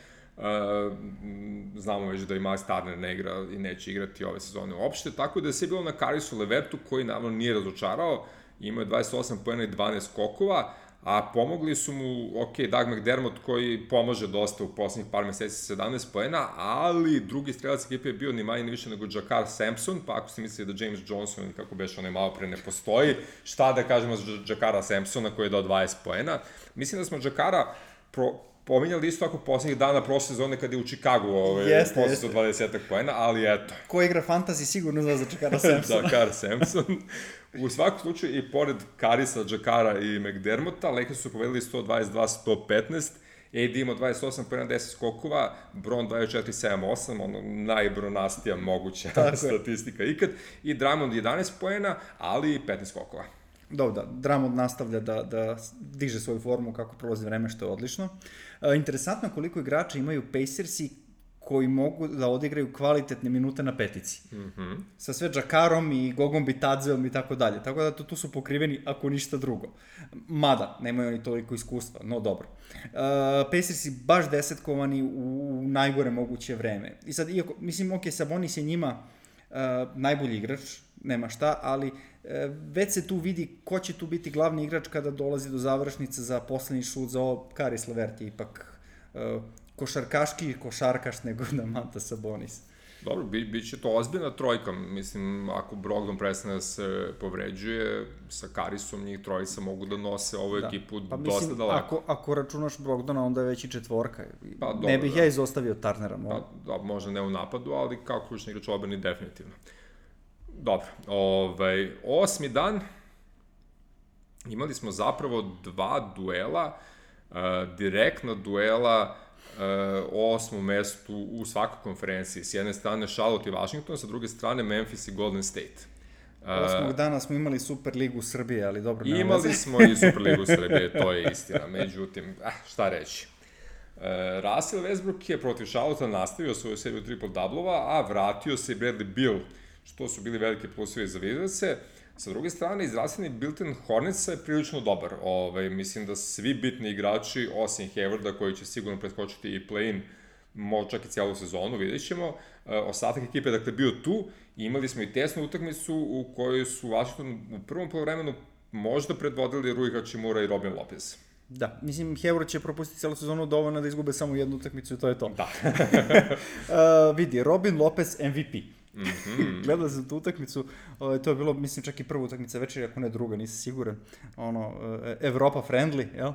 znamo već da i Miles Turner ne igra i neće igrati ove sezone uopšte, tako da je sve bilo na Karisu Levertu koji naravno nije razočarao, imao je dvadeset osam poena i dvanaest skokova, a pomogli su mu, ok, Doug McDermott koji pomaže dosta u poslednjih par meseci sa sedamnaest poena, ali drugi strelac ekipe je bio ni manje ni više nego Jakar Sampson, pa ako se misli da James Johnson, ili kako beše onaj malo pre, ne postoji, šta da kažemo za Jakara Sampsona koji je dao dvadeset poena. Mislim da smo Jakara pro, pominjali isto tako poslednjih dana prošle sezone kada je u Chicagu ovaj, posle dvadeset poena, ali eto. Ko igra fantasy sigurno zna za Jakara Sampsona. Jakar Sampson. U svakom slučaju, i pored Karisa, Jakara i McDermotta, Lakers su povedali sto dvadeset dva sto petnaest, A D imao dvadeset osam poena, deset skokova, Bron dvadeset četiri sedam osam, ono najbronastija moguća statistika ikad, i Drummond jedanaest poena, ali petnaest skokova. Dobro, da, Drummond nastavlja da, da diže svoju formu kako prolazi vreme, što je odlično. E, interesantno koliko igrača imaju Pacersi koji mogu da odigraju kvalitetne minute na petici. Mhm. Sa sve Džakarom i Gogom Bitadzeom i tako dalje. Tako da tu, tu su pokriveni ako ništa drugo. Mada, nemaju oni toliko iskustva, no dobro. Uh, Pacersi baš desetkovani u, u najgore moguće vreme. I sad, iako, mislim, ok, Sabonis je njima uh, najbolji igrač, nema šta, ali uh, već se tu vidi ko će tu biti glavni igrač kada dolazi do završnice za poslednji šut za ovo. Karis Levert je ipak uh, košarkaški košarkaš nego da Manta Sabonis. Dobro, bi, bit će to ozbiljna trojka. Mislim, ako Brogdon prestane da se povređuje, sa Karisom njih trojica mogu da nose ovu da. ekipu pa, dosta mislim, daleko. Ako, ako računaš Brogdona, onda je već i četvorka. Pa, dobro, ne bih da. ja izostavio Turnera. Pa, da, možda ne u napadu, ali kao ključni igrač odbrane definitivno. Dobro, ovaj, osmi dan, imali smo zapravo dva duela, uh, direktna duela Uh, o osmom mestu u svakoj konferenciji. S jedne strane Charlotte i Washington, sa druge strane Memphis i Golden State. Uh, Osmog dana smo imali Superligu Srbije, ali dobro, nema imali veze. smo i Superligu Srbije, to je istina. Međutim, eh, šta reći. Uh, Russell Westbrook je protiv Charlotte nastavio svoju seriju triple-doublova, a vratio se i Bradley Beal, što su bili velike plusevi za Wizardse. Sa druge strane, izrastljeni Bilton Hornetsa je prilično dobar. Ove, mislim da svi bitni igrači, osim Haywarda, koji će sigurno preskočiti i play-in, možda čak i cijelu sezonu, vidjet ćemo. E, ostatak ekipe je dakle bio tu. Imali smo i tesnu utakmicu u kojoj su Washington u prvom polovremenu možda predvodili Rui Hachimura i Robin Lopez. Da, mislim, Hayward će propustiti celu sezonu dovoljno da izgube samo jednu utakmicu i to je to. Da. uh, vidi, Robin Lopez M V P. Mm-hmm. Gledao sam tu utakmicu, to je bilo, mislim, čak i prva utakmica večeri, ako ne druga, nisam siguran, ono, Evropa friendly, jel?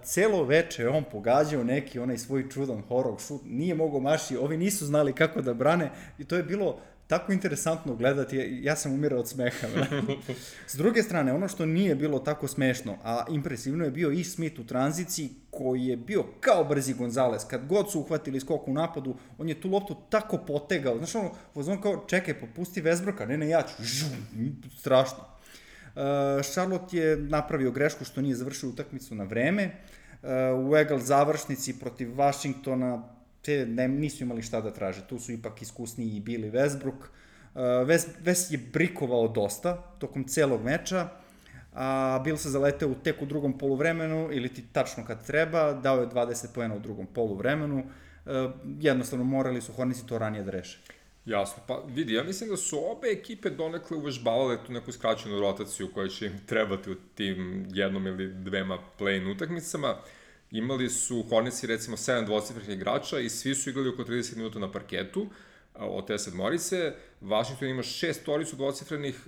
Celo veče on pogađao neki onaj svoj čudan horror šut, nije mogao maši, ovi nisu znali kako da brane i to je bilo tako interesantno gledati, ja sam umirao od smeha. S druge strane, ono što nije bilo tako smešno, a impresivno je bio Ish Smith u tranziciji, koji je bio kao brzi Gonzalez. Kad god su uhvatili skok u napadu, on je tu loptu tako potegao. Znaš ono, on kao, čekaj, popusti Westbrooka, ne, ne, ja ću. Žum, strašno. Uh, Charlotte je napravio grešku što nije završio utakmicu na vreme. Uh, u egal završnici protiv Washingtona te ne, nisu imali šta da traže. Tu su ipak iskusniji i Billy Westbrook. Uh, West, West je brikovao dosta tokom celog meča, a Bill se zaleteo u tek u drugom poluvremenu, ili ti tačno kad treba, dao je dvadeset poena u drugom poluvremenu. Uh, jednostavno morali su Hornetsi to ranije da reše. Jasno, pa vidi, ja mislim da su obe ekipe donekle uvežbavale tu neku skraćenu rotaciju koja će im trebati u tim jednom ili dvema play-in utakmicama. Imali su Hornetsi recimo sedam dvocifrenih igrača i svi su igrali oko trideset minuta na parketu od te sedmorice. Washington ima šest toricu dvocifrenih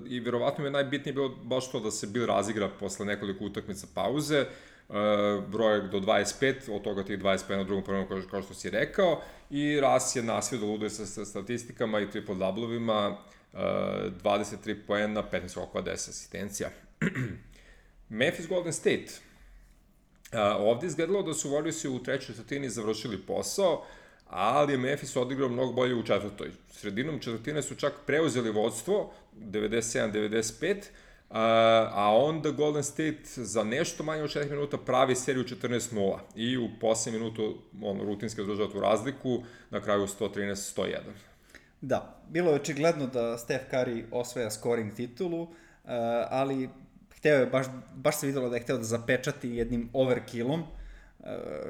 i verovatno je najbitnije bilo baš to da se Bill razigra posle nekoliko utakmica pauze. Brojak do dvadeset pet, od toga tih dvadeset pet na drugom prvom, kao što si rekao, i Russ je nasvio da luduje sa statistikama i triple-doublovima, dvadeset tri poena, petnaest skokova, deset asistencija. Memphis Golden State. Ovde izgledalo da su Warriorsi u trećoj četvrtini završili posao, ali je Memphis odigrao mnogo bolje u četvrtoj. Sredinom četvrtine su čak preuzeli vodstvo, devedeset sedam devedeset pet, a onda Golden State za nešto manje od četiri minuta pravi seriju četrnaest nula i u posljednjem minutu ono, rutinski održava tu razliku, na kraju sto trinaest sto jedan. Da, bilo je očigledno da Steph Curry osvaja scoring titulu, ali hteo je, baš, baš se videlo da je hteo da zapečati jednim overkillom,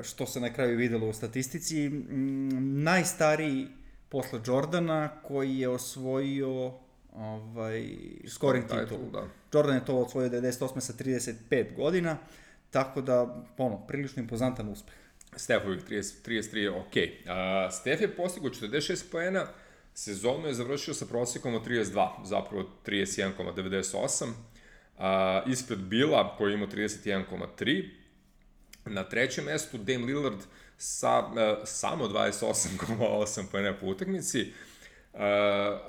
što se na kraju videlo u statistici. Najstariji posle Jordana koji je osvojio ovaj, scoring titulu. Da. Jordan je to osvojio devedeset osme sa trideset pet godina, tako da, ono, prilično impozantan uspeh. Stephovih trideset, trideset tri je okej. Okay. Uh, Steph je postigao četrdeset šest poena, sezonu je završio sa prosjekom od trideset dva, zapravo trideset jedan zarez devedeset osam. Uh, ispred Billa koji ima trideset jedan zarez tri. Na trećem mestu Dame Lillard sa uh, samo dvadeset osam zarez osam poena po utakmici. Uh,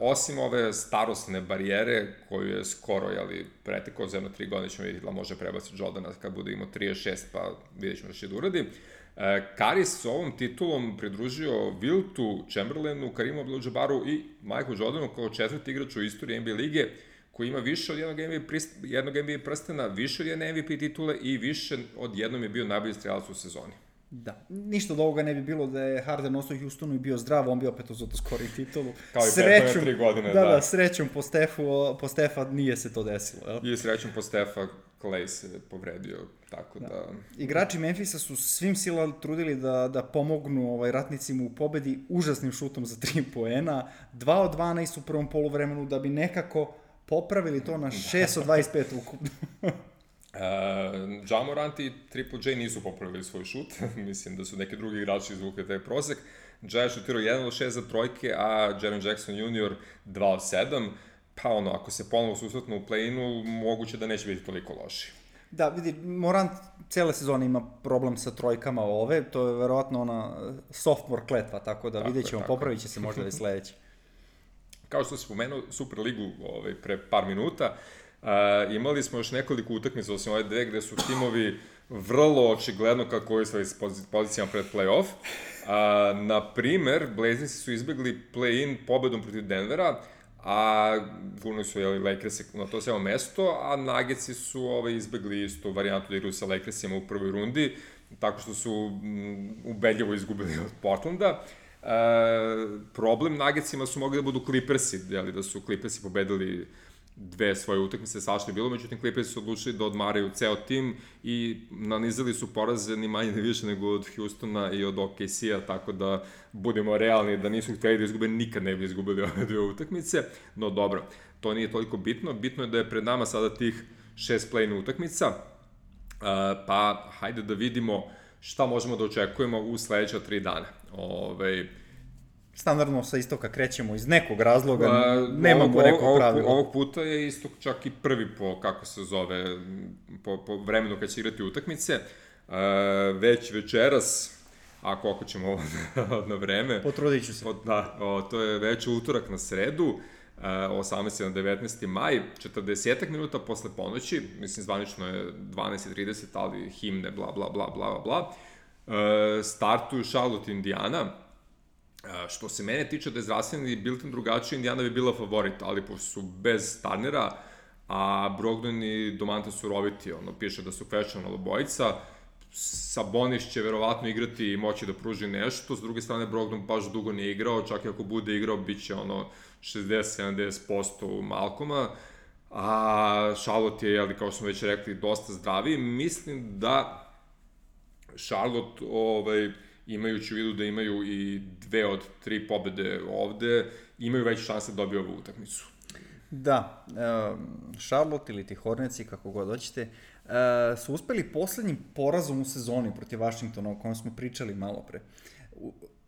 osim ove starosne barijere koju je skoro jeli, pretekao za jedno tri godine, ćemo vidjeti da može prebaciti Jordana kad bude imao trideset šest, pa vidjet ćemo da će da uradi. Uh, Curry s ovom titulom pridružio Wiltu, Chamberlainu, Karimu Abdul-Jabbaru i Michael Jordanu kao četvrti igrač u istoriji N B A lige, koji ima više od jednog N B A, prist, jednog N B A prstena, više od jedne M V P titule i više od jednom je bio najbolji strelac u sezoni. Da, ništa od ovoga ne bi bilo da je Harden ostao u Houstonu i bio zdrav, on bi opet uzeto skori titulu. Kao i prethodne tri godine, da. Da, da, srećom po Stefu, po Stefa nije se to desilo. Jel? I srećom po Stefa, Klay se povredio, tako da... da... Igrači Memfisa su svim silama trudili da, da pomognu ovaj, ratnicima u pobedi užasnim šutom za tri poena, dva od dvanaest u prvom poluvremenu, da bi nekako popravili to na šest od dvadeset pet ukupno. Uh, Ja Morant i Triple J nisu popravili svoj šut, mislim da su neki drugi igrači izvukli taj prosek. Ja je šutirao jedan od šest za trojke, a Jaren Jackson junior dva od sedam, pa ono, ako se ponovo susretnu u play-inu, moguće da neće biti toliko loši. Da, vidi, Morant cele sezone ima problem sa trojkama ove, to je verovatno ona sophomore kletva, tako da tako vidjet ćemo, popravit će se možda već sledeće. Kao što si spomenuo Superligu ovaj, pre par minuta, Uh, imali smo još nekoliko utakmica, osim ove dve, gde su timovi vrlo očigledno kako je svoj pozicijama pred play-off. Uh, naprimer, Blazersi su izbjegli play-in pobedom protiv Denvera, a gurnuli su jeli, Lakersi na to samo mesto, a Nuggetsi su ovaj, izbjegli istu varijantu da igraju sa Lakersima u prvoj rundi, tako što su m, ubedljivo izgubili od Portlanda. Uh, problem Nuggetsima su mogli da budu Clippersi, jeli, da su Clippersi pobedili dve svoje utakmice, svašta je bilo, međutim Clippersi su odlučili da odmaraju ceo tim i nanizali su poraze ni manje ni više nego od Houstona i od O K C-a, tako da budemo realni da nisu htjeli da izgube, nikad ne bi izgubili ove dve utakmice, no dobro, to nije toliko bitno, bitno je da je pred nama sada tih šest play-in utakmica, uh, pa hajde da vidimo šta možemo da očekujemo u sledeća tri dana. Ove, Standardno sa istoka krećemo iz nekog razloga, uh, nemamo ovog, neko pravilo. Ovog puta je istok čak i prvi po, kako se zove, po, po vremenu kad će igrati utakmice. Uh, već večeras, ako ako ćemo na vreme... Potrudit ću se. O, da, o, to je već utorak na sredu, uh, osamnaesti na devetnaesti maj, četrdesetak minuta posle ponoći, mislim zvanično je dvanaest i trideset, ali himne, bla, bla, bla, bla, bla. Uh, startuju Charlotte, Indiana. Što se mene tiče da je zdravstveni bilten drugačiji, Indiana bi bila favorit, ali pošto su bez Turnera, a Brogdon i Domantas su roviti, ono, piše da su questionable obojica, Sabonis će verovatno igrati i moći da pruži nešto, s druge strane Brogdon baš dugo nije igrao, čak i ako bude igrao, bit će ono šezdeset do sedamdeset posto u Malcoma, a Charlotte je, ali kao smo već rekli, dosta zdravi. Mislim da Charlotte, ovaj, imajući u vidu da imaju i dve od tri pobede ovde, imaju veće šanse da dobiju ovu utakmicu. Da, Charlotte ili ti Hornetsi, kako god hoćete, su uspeli poslednjim porazom u sezoni protiv Washingtona, o kojem smo pričali malo pre.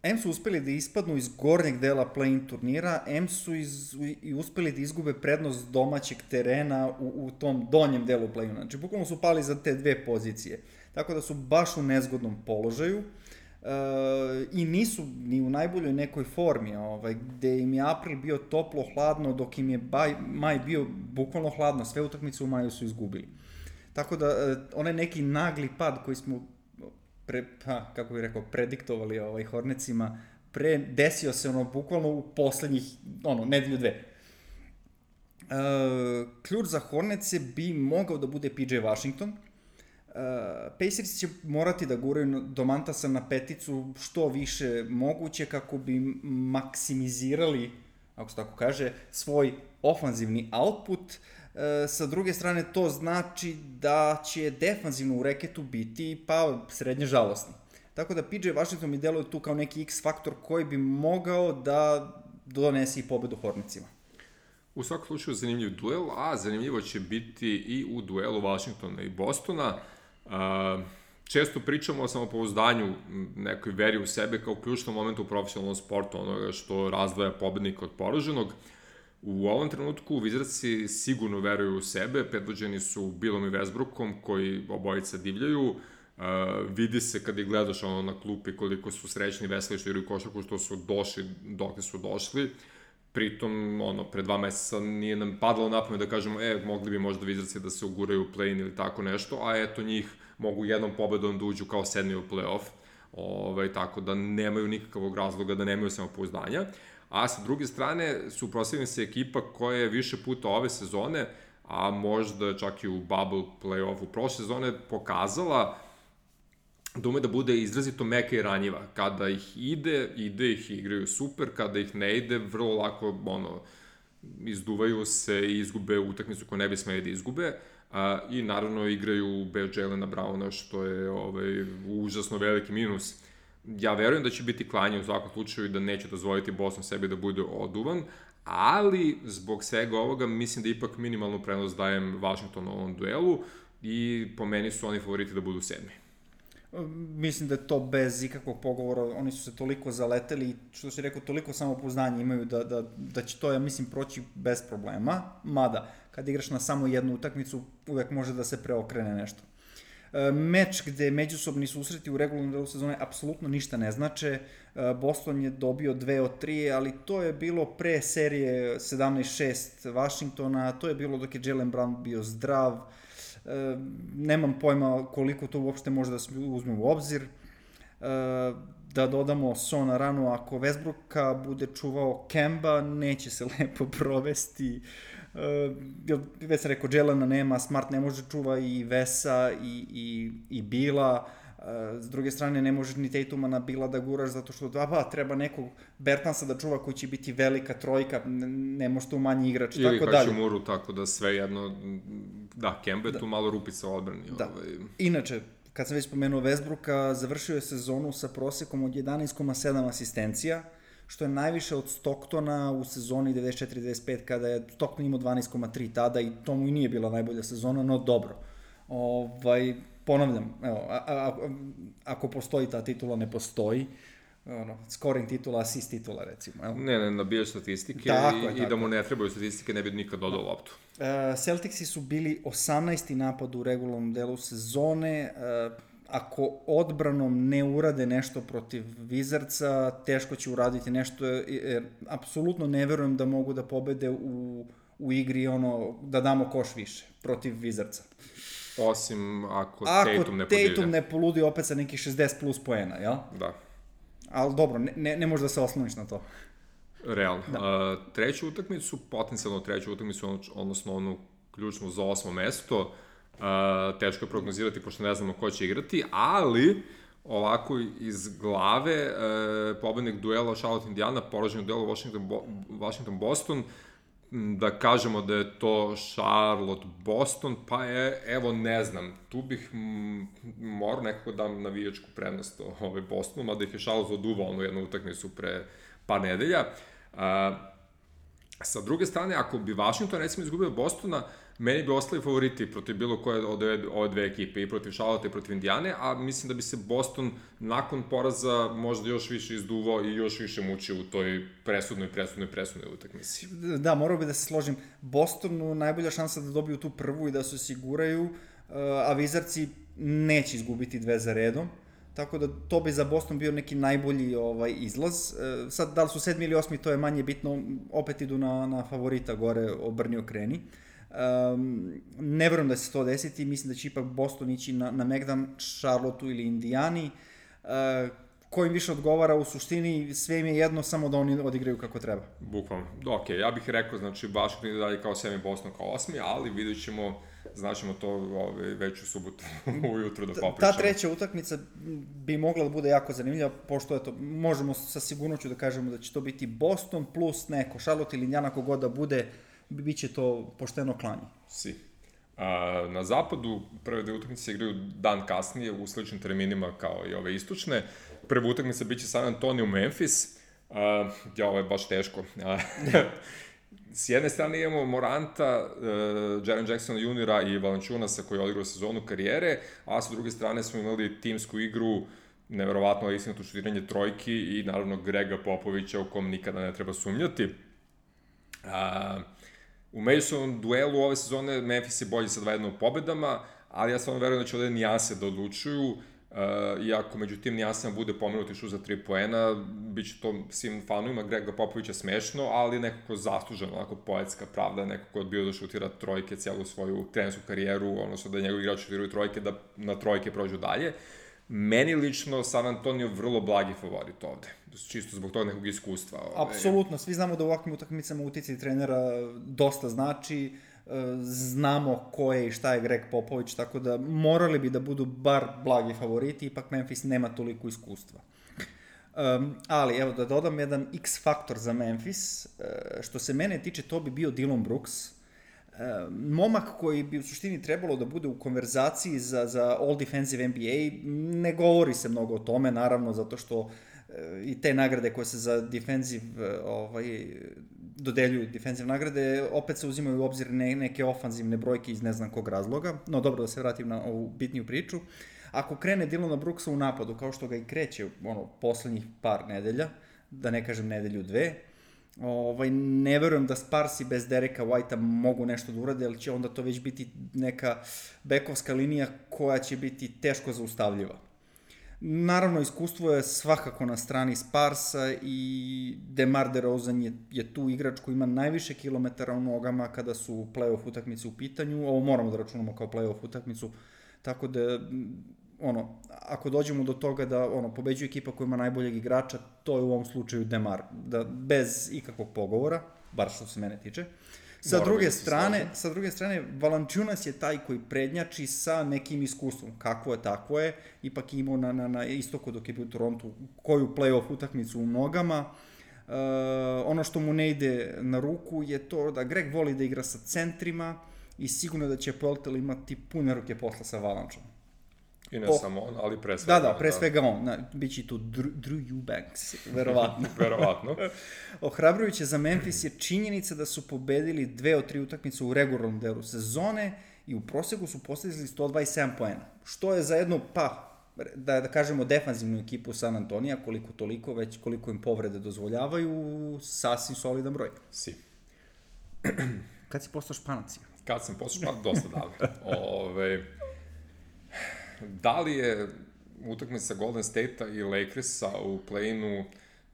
M su uspeli da ispadnu iz gornjeg dela play-in turnira, M su iz, i uspeli da izgube prednost domaćeg terena u, u tom donjem delu play-ina. Znači, bukvalno su pali za te dve pozicije. Tako da su baš u nezgodnom položaju. Uh, i nisu ni u najboljoj nekoj formi, ovaj, gde im je april bio toplo, hladno, dok im je baj, maj bio bukvalno hladno, sve utakmice u maju su izgubili. Tako da, uh, onaj neki nagli pad koji smo, pre, pa, kako bih rekao, prediktovali ovaj, Hornetsima, pre, desio se ono bukvalno u poslednjih, ono, nedelju dve. Uh, ključ za Hornetse bi mogao da bude P J Washington. Uh, Pacers će morati da guraju Domantasa na peticu što više moguće kako bi maksimizirali, ako se tako kaže, svoj ofanzivni output. Uh, sa druge strane, to znači da će defanzivno u reketu biti pa srednje žalosni. Tako da P J Washington mi deluje tu kao neki X-faktor koji bi mogao da donese i pobedu Hornetsima. U svakom slučaju zanimljiv duel, a zanimljivo će biti i u duelu Washingtona i Bostona. Uh, često pričamo o samopouzdanju, nekoj veri u sebe kao ključnom momentu u profesionalnom sportu, onoga što razdvaja pobednika od poraženog. U ovom trenutku Wizardsi sigurno veruju u sebe, predvođeni su Billom i Westbrookom koji obojica divljaju. Uh, vidi se kad ih gledaš ono na klupi koliko su srećni i veseli što igraju košarku, što su došli dok su došli. Pritom, ono, pre dva meseca nije nam padalo na pamet da kažemo, e, mogli bi možda Wizardsi da se uguraju u play-in ili tako nešto, a eto njih mogu jednom pobedom da uđu kao sedmi u play-off, ovaj, tako da nemaju nikakvog razloga da nemaju samopouzdanja. A sa druge strane, suprotstavljena se ekipa koja je više puta ove sezone, a možda čak i u bubble play-offu prošle sezone, pokazala da ume da bude izrazito meka i ranjiva. Kada ih ide, ide ih i igraju super, kada ih ne ide, vrlo lako, ono, izduvaju se i izgube utakmicu koju ne bi smeli da izgube. A, I naravno igraju bez Jelena Browna, što je ovaj, užasno veliki minus. Ja verujem da će biti klanje u svakom slučaju i da neće dozvoliti Boston sebi da bude oduvan, ali zbog svega ovoga mislim da ipak minimalnu prednost dajem Washingtonu u ovom duelu i po meni su oni favoriti da budu sedmi. Mislim da je to bez ikakvog pogovora, oni su se toliko zaleteli i što si rekao, toliko samopouzdanja imaju da, da, da će to, ja mislim, proći bez problema, mada kad igraš na samo jednu utakmicu uvek može da se preokrene nešto. E, meč gde međusobni susreti u regularnom delu sezone apsolutno ništa ne znače, e, Boston je dobio dve od tri, ali to je bilo pre serije sedamnaest šest Washingtona, to je bilo dok je Jaylen Brown bio zdrav. E, nemam pojma koliko to uopšte može da se uzme u obzir. E, da dodamo Sona ranu, ako Westbrooka bude čuvao Kemba, neće se lepo provesti. E, već sam rekao, Jelena nema, Smart ne može čuva i Vesa i, i, i Bila. S druge strane, ne možeš ni Tatuma na Bila da guraš, zato što ba, ba, treba nekog Bertansa da čuva koji će biti velika trojka, ne može tu manji igrač, ili tako dalje. Ili Hačimuru, tako da sve jedno, da, Kemba je da. Tu malo rupica u odbrani. Da. Ovaj. Inače, kad sam već spomenuo Westbrooka, završio je sezonu sa prosekom od jedanaest zarez sedam asistencija, što je najviše od Stocktona u sezoni devedeset četiri devedeset pet, kada je Stockton imao dvanaest zarez tri tada i to mu i nije bila najbolja sezona, no dobro. Ovaj... Ponavljam, evo, a, a, ako postoji ta titula, ne postoji, ono, scoring titula, assist titula, recimo. Evo. Ne, ne, nabijaš statistike tako i, je, i da mu ne trebaju statistike, ne bi nikad dodao loptu. Uh, Celticsi su bili osamnaesti napad u regularnom delu sezone, uh, ako odbranom ne urade nešto protiv Wizardsa, teško će uraditi nešto, jer apsolutno ne verujem da mogu da pobede u, u igri, ono, da damo koš više protiv Wizardsa. Osim ako, ako Tatum ne poludi. Tatum ne poludi opet sa nekih šezdeset plus poena, jel? Da. Ali dobro, ne, ne, ne možeš da se osloniš na to. Realno. Da. Uh, treću utakmicu, potencijalno treću utakmicu, odnosno onu ključnu za osmo mesto, uh, teško je prognozirati pošto ne znamo ko će igrati, ali ovako iz glave uh, pobednik duela Charlotte Indiana, poraženog duela Washington, Bo Washington Boston, da kažemo da je to Charlotte Boston, pa je, evo, ne znam, tu bih morao nekako dam navijačku prednost ovaj Bostonu, mada ih je Charlotte oduvao onu jednu utakmicu pre par nedelja. A, sa druge strane, ako bi Washington, recimo, izgubio Bostona, meni bi ostali favoriti protiv bilo koje od ove, ove dve ekipe, i protiv Charlotte i protiv Indijane, a mislim da bi se Boston nakon poraza možda još više izduvao i još više mučio u toj presudnoj, presudnoj, presudnoj utakmici. Da, morao bi da se složim. Bostonu najbolja šansa da dobiju tu prvu i da se osiguraju, a Wizardsi neće izgubiti dve za redom. Tako da to bi za Boston bio neki najbolji ovaj izlaz. E, sad, da li su sedmi ili osmi, to je manje bitno, opet idu na, na favorita gore, obrni okreni. Um, ne verujem da se to desiti, mislim da će ipak Boston ići na, na Megdan, Charlotteu ili Indijani. Uh, ko im više odgovara, u suštini sve im je jedno, samo da oni odigraju kako treba. Bukvalno. Ok, ja bih rekao, znači, Washington ide dalje kao sedmi, Boston kao osmi, ali vidjet ćemo, znaćemo to ove, već u subotu ujutru da popričamo. Ta treća utakmica bi mogla da bude jako zanimljiva, pošto eto, možemo sa sigurnoću da kažemo da će to biti Boston plus neko, Charlotte ili Indijana, kogod da bude, bit će to pošteno klanje. Si. A, na zapadu prve dve utakmice se igraju dan kasnije u sličnim terminima kao i ove istočne. Prva utakmica biće San Antonio Memphis. A, ja, ovo je baš teško. A, s jedne strane imamo Moranta, uh, Jaren Jacksona juniora i Valanciunasa koji je odigrao sezonu karijere, a sa druge strane smo imali timsku igru, neverovatno istinito šutiranje trojki i naravno Grega Popovića u kom nikada ne treba sumnjati. Uh, U međusobnom duelu ove sezone Memphis je bolji sa dva jedna u pobedama, ali ja stvarno verujem da će ovde nijanse da odlučuju, uh, iako među tim nijansama bude pomenuti šut za tri poena, bit će to svim fanovima Grega Popovića smešno, ali nekako zasluženo, onako poetska pravda, neko ko je odbio da šutira trojke celu svoju trenersku karijeru, odnosno da njegovi igrači šutiraju trojke, da na trojke prođu dalje. Meni lično San Antonio vrlo blagi favorit ovde, čisto zbog toga nekog iskustva. Ove. Apsolutno, svi znamo da u ovakvim utakmicama uticaj trenera dosta znači, znamo ko je i šta je Greg Popovich, tako da morali bi da budu bar blagi favoriti, ipak Memphis nema toliko iskustva. Um, ali, evo, da dodam jedan X faktor za Memphis, uh, što se mene tiče, to bi bio Dillon Brooks, uh, momak koji bi u suštini trebalo da bude u konverzaciji za, za All Defensive N B A, ne govori se mnogo o tome, naravno, zato što uh, i te nagrade koje se za defensive, uh, ovaj, dodeljuju defensive nagrade, opet se uzimaju u obzir ne, neke ofanzivne brojke iz ne znam kog razloga, no dobro, da se vratim na ovu bitniju priču. Ako krene Dillona Brooksa u napadu, kao što ga i kreće ono, poslednjih par nedelja, da ne kažem nedelju dve, ovaj, ne verujem da Sparsi bez Dereka Whitea mogu nešto da urade, ali će onda to već biti neka bekovska linija koja će biti teško zaustavljiva. Naravno, iskustvo je svakako na strani Sparsa i DeMar DeRozan je, je tu igrač koji ima najviše kilometara u nogama kada su play-off utakmice u pitanju. Ovo moramo da računamo kao play-off utakmicu, tako da ono, ako dođemo do toga da ono, pobeđuje ekipa koja ima najboljeg igrača, to je u ovom slučaju DeMar, da, bez ikakvog pogovora, bar što se mene tiče. Sa Moram druge strane, sa druge strane, Valanciunas je taj koji prednjači sa nekim iskustvom. Kakvo je, tako je. Ipak imao na, na, na istoku dok je bio u Torontu koju play-off utakmicu u nogama. Uh, ono što mu ne ide na ruku je to da Greg voli da igra sa centrima i sigurno da će Poeltl imati pune ruke posla sa Valanciunom. I ne po... samo on, ali pre svega Da, da, pre svega on. Na, biće tu Drew, Drew Eubanks, verovatno. Verovatno. Ohrabrujuće za Memphis je činjenica da su pobedili dve od tri utakmice u regularnom delu sezone i u prosegu su postizili sto dvadeset sedam poena. Što je za jednu, pa, da, da kažemo, defanzivnu ekipu San Antonija, koliko toliko, već koliko im povrede dozvoljavaju, sasvim solidan broj. Si. Kad si postao Španac? Kad sam postao Španac, dosta davno. Ove... Da li je utakmica Golden State-a i Lakersa u play-inu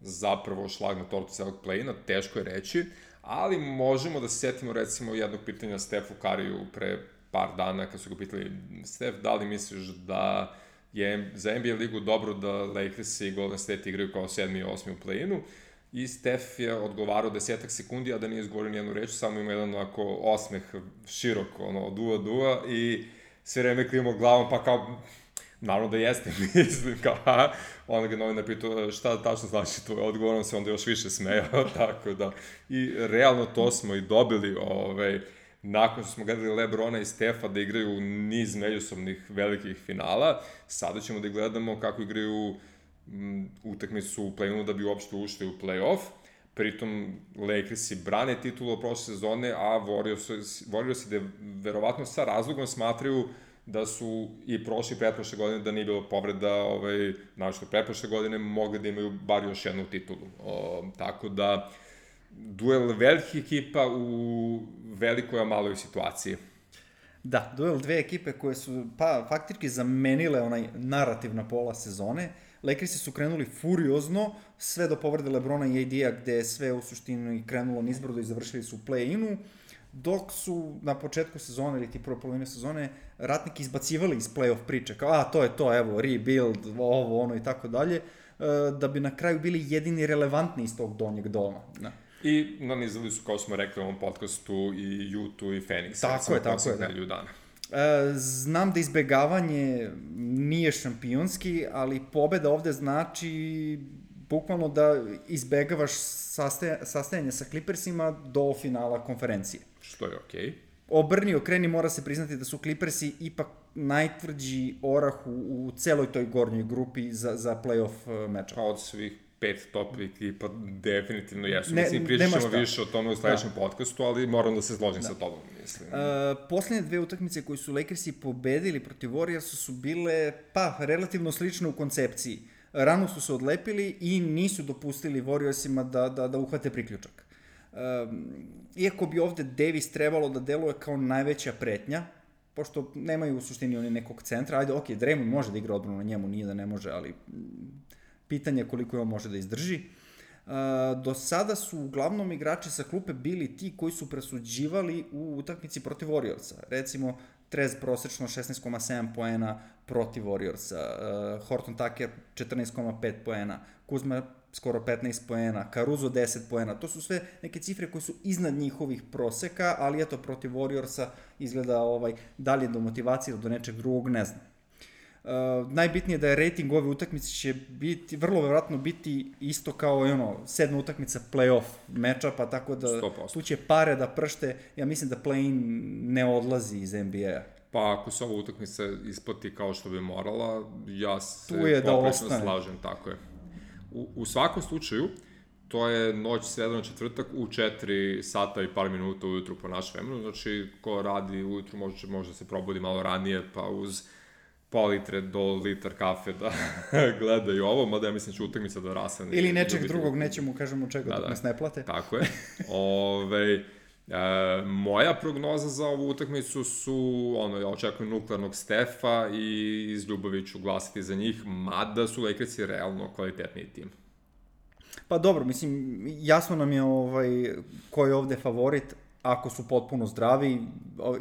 zapravo šlag na tortu celog play-ina, teško je reći, ali možemo da se setimo recimo jednog pitanja Stefu Kariju pre par dana kad su ga pitali: Stef, da li misliš da je za N B A ligu dobro da Lakers i Golden State igraju kao sedmi i osmi u play-inu? I Stef je odgovarao desetak sekundi, a da nije izgovorio nijednu reč, samo ima jedan onako osmeh širok, ono, od uva do uva, i sve vreme klimao glavom, pa kao, naravno da jeste, mislim, kao, ha, onda ga novinar pitao šta tačno znači tvoj odgovor, on se onda još više smejao, tako da, i realno to smo i dobili, ovaj, nakon što smo gledali Lebrona i Stefa da igraju niz međusobnih velikih finala, sada ćemo da gledamo kako igraju m, utakmicu u play-inu da bi uopšte ušli u play-off. Pritom Lakersi brane titulu od prošle sezone, a Warriorsi, Warriorsi da verovatno sa razlogom smatraju da su i prošle i pretprošle godine, da nije bilo povreda, ovaj, našto pretprošle godine, mogli da imaju bar još jednu titulu. O, tako da, duel velikih ekipa u velikoj a maloj situaciji. Da, duel dve ekipe koje su, pa, faktički zamenile onaj narativ na pola sezone. Lakersi su krenuli furiozno, sve do povrede Lebrona i A D-a, gde je sve u suštini krenulo nizbrdo i završili su u play-inu, dok su na početku sezone, ili ti prve polovine sezone, ratniki izbacivali iz play-off priče, kao, a, to je to, evo, rebuild, ovo, ono i tako dalje, da bi na kraju bili jedini relevantni iz tog donjeg doma. Da. I nanizali su, kao smo rekli u ovom podcastu, i Utah i Phoenix. Tako je, tako je, da. Dana. E, znam da izbegavanje nije šampionski, ali pobeda ovde znači bukvalno da izbegavaš sastaja, sastajanje sa Clippersima do finala konferencije. Što je okej. Okay. Obrni, okreni, mora se priznati da su Clippersi ipak najtvrđi orah u, u celoj toj gornjoj grupi za, za play-off meča. Pa od svih pet top ekipa definitivno jesu. Ne, mislim, pričat ćemo više o tome u sledećem da. podcastu, ali moram da se složim da. sa tobom, mislim. E, poslednje dve utakmice koje su Lakersi pobedili protiv Warriorsa su bile, pa, relativno slične u koncepciji. Rano su se odlepili i nisu dopustili Warriorsima da, da, da uhvate priključak. E, iako bi ovde Davis trebalo da deluje kao najveća pretnja, pošto nemaju u suštini oni nekog centra, ajde, ok, Draymond može da igra odbranu na njemu, nije da ne može, ali pitanje je koliko je on može da izdrži. Uh, do sada su uglavnom igrači sa klupe bili ti koji su presuđivali u utakmici protiv Warriorsa. Recimo, Trez prosečno šesnaest zarez sedam poena protiv Warriorsa, uh, Horton Tucker četrnaest zarez pet poena, Kuzma skoro petnaest poena, Caruso deset poena, to su sve neke cifre koje su iznad njihovih proseka, ali eto, protiv Warriorsa izgleda ovaj, dalje do motivacije, do nečeg drugog, ne znam. Uh, najbitnije je da je rating ove utakmice će biti, vrlo verovatno biti isto kao i ono, sedma utakmica play-off meča, pa tako da sto posto. Tu će pare da pršte, ja mislim da play-in ne odlazi iz N B A-a. Pa ako se ova utakmica isplati kao što bi morala, ja se poprečno da slažem, tako je. U, u svakom slučaju, to je noć sreda na četvrtak u četiri sata i par minuta ujutru po našem vremenu, znači ko radi ujutru može, može se probudi malo ranije, pa uz pol litre do litar kafe da gledaju ovo, mada ja mislim će utakmica da rasane. Ili nečeg drugog, nećemo kažemo čega, da, dok da. nas ne plate. Tako je. Ove, e, moja prognoza za ovu utakmicu su, ono, ja očekujem nuklearnog Stefa i iz ljubavi ću glasiti za njih, mada su Lakersi realno kvalitetniji tim. Pa dobro, mislim, jasno nam je ovaj, ko je ovde favorit, ako su potpuno zdravi,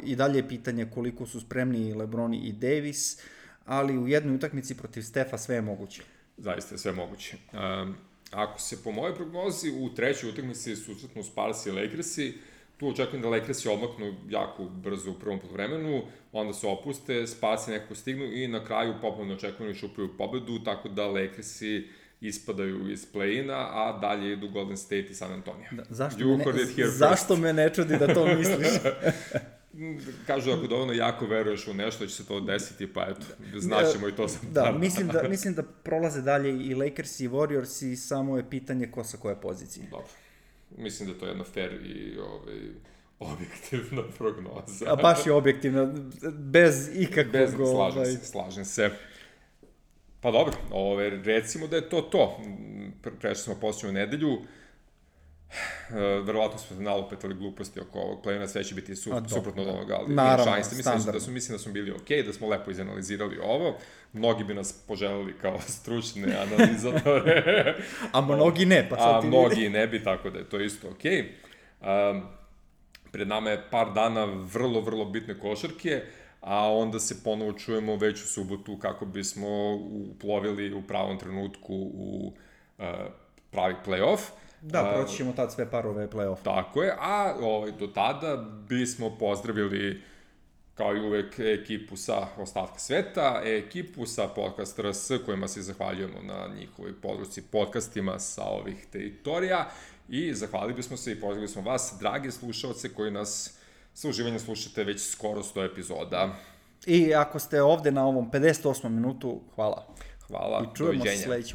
i dalje je pitanje koliko su spremni LeBron i Davis, ali u jednoj utakmici protiv Stefa sve je moguće. Zaista je sve moguće. Um, ako se po mojoj prognozi u trećoj utakmici susretnu Spurs i Lakersi, tu očekujem da Lakersi odmaknu jako brzo u prvom poluvremenu, onda se opuste, Spursi nekako stignu i na kraju popularno očekujem da šupaju pobedu, tako da Lakersi ispadaju iz play-ina, a dalje idu Golden State i San Antonio. Da, zašto, me ne, zašto me ne čudi da to misliš? Kažu ako dovoljno jako veruješ u nešto, će se to desiti, pa eto, znaćemo i to sam. Da, mislim da, mislim da prolaze dalje i Lakers i Warriors i samo je pitanje ko sa koje pozicije. Dobro. Mislim da je to jedna fair i ovaj, objektivna prognoza. A baš je objektivna, bez ikakvog... Bez, slažem ovaj... se, slažem se. Pa dobro, ove, recimo da je to to. Pre, prešli smo posljednju nedelju. E, verovatno smo nalupetali gluposti oko ovog play-ina, sve će biti su, suprotno od onoga, ali naravno, šanse. Mislim da, su, mislim da smo bili okej, okay, da smo lepo izanalizirali ovo. Mnogi bi nas poželeli kao stručne analizatore. A mnogi ne, pa sad A ti mnogi vidi. ne bi, tako da je to isto okej. Okay. Um, pred nama je par dana vrlo, vrlo bitne košarke, a onda se ponovo čujemo već u subotu kako bismo uplovili u pravom trenutku u uh, pravi play-off. Da, proći ćemo tad sve parove play-off. Tako je, a ovaj, do tada bismo pozdravili kao i uvek ekipu sa ostatka sveta, ekipu sa Podcast R S, kojima se zahvaljujemo na njihovoj podršci podcastima sa ovih teritorija i zahvalili bismo se i pozdravili smo vas, dragi slušalce koji nas sa uživanjem slušate već skoro sto epizoda. I ako ste ovde na ovom pedeset osmom minutu, hvala. Hvala, i čujemo doviđenja. Se sledeći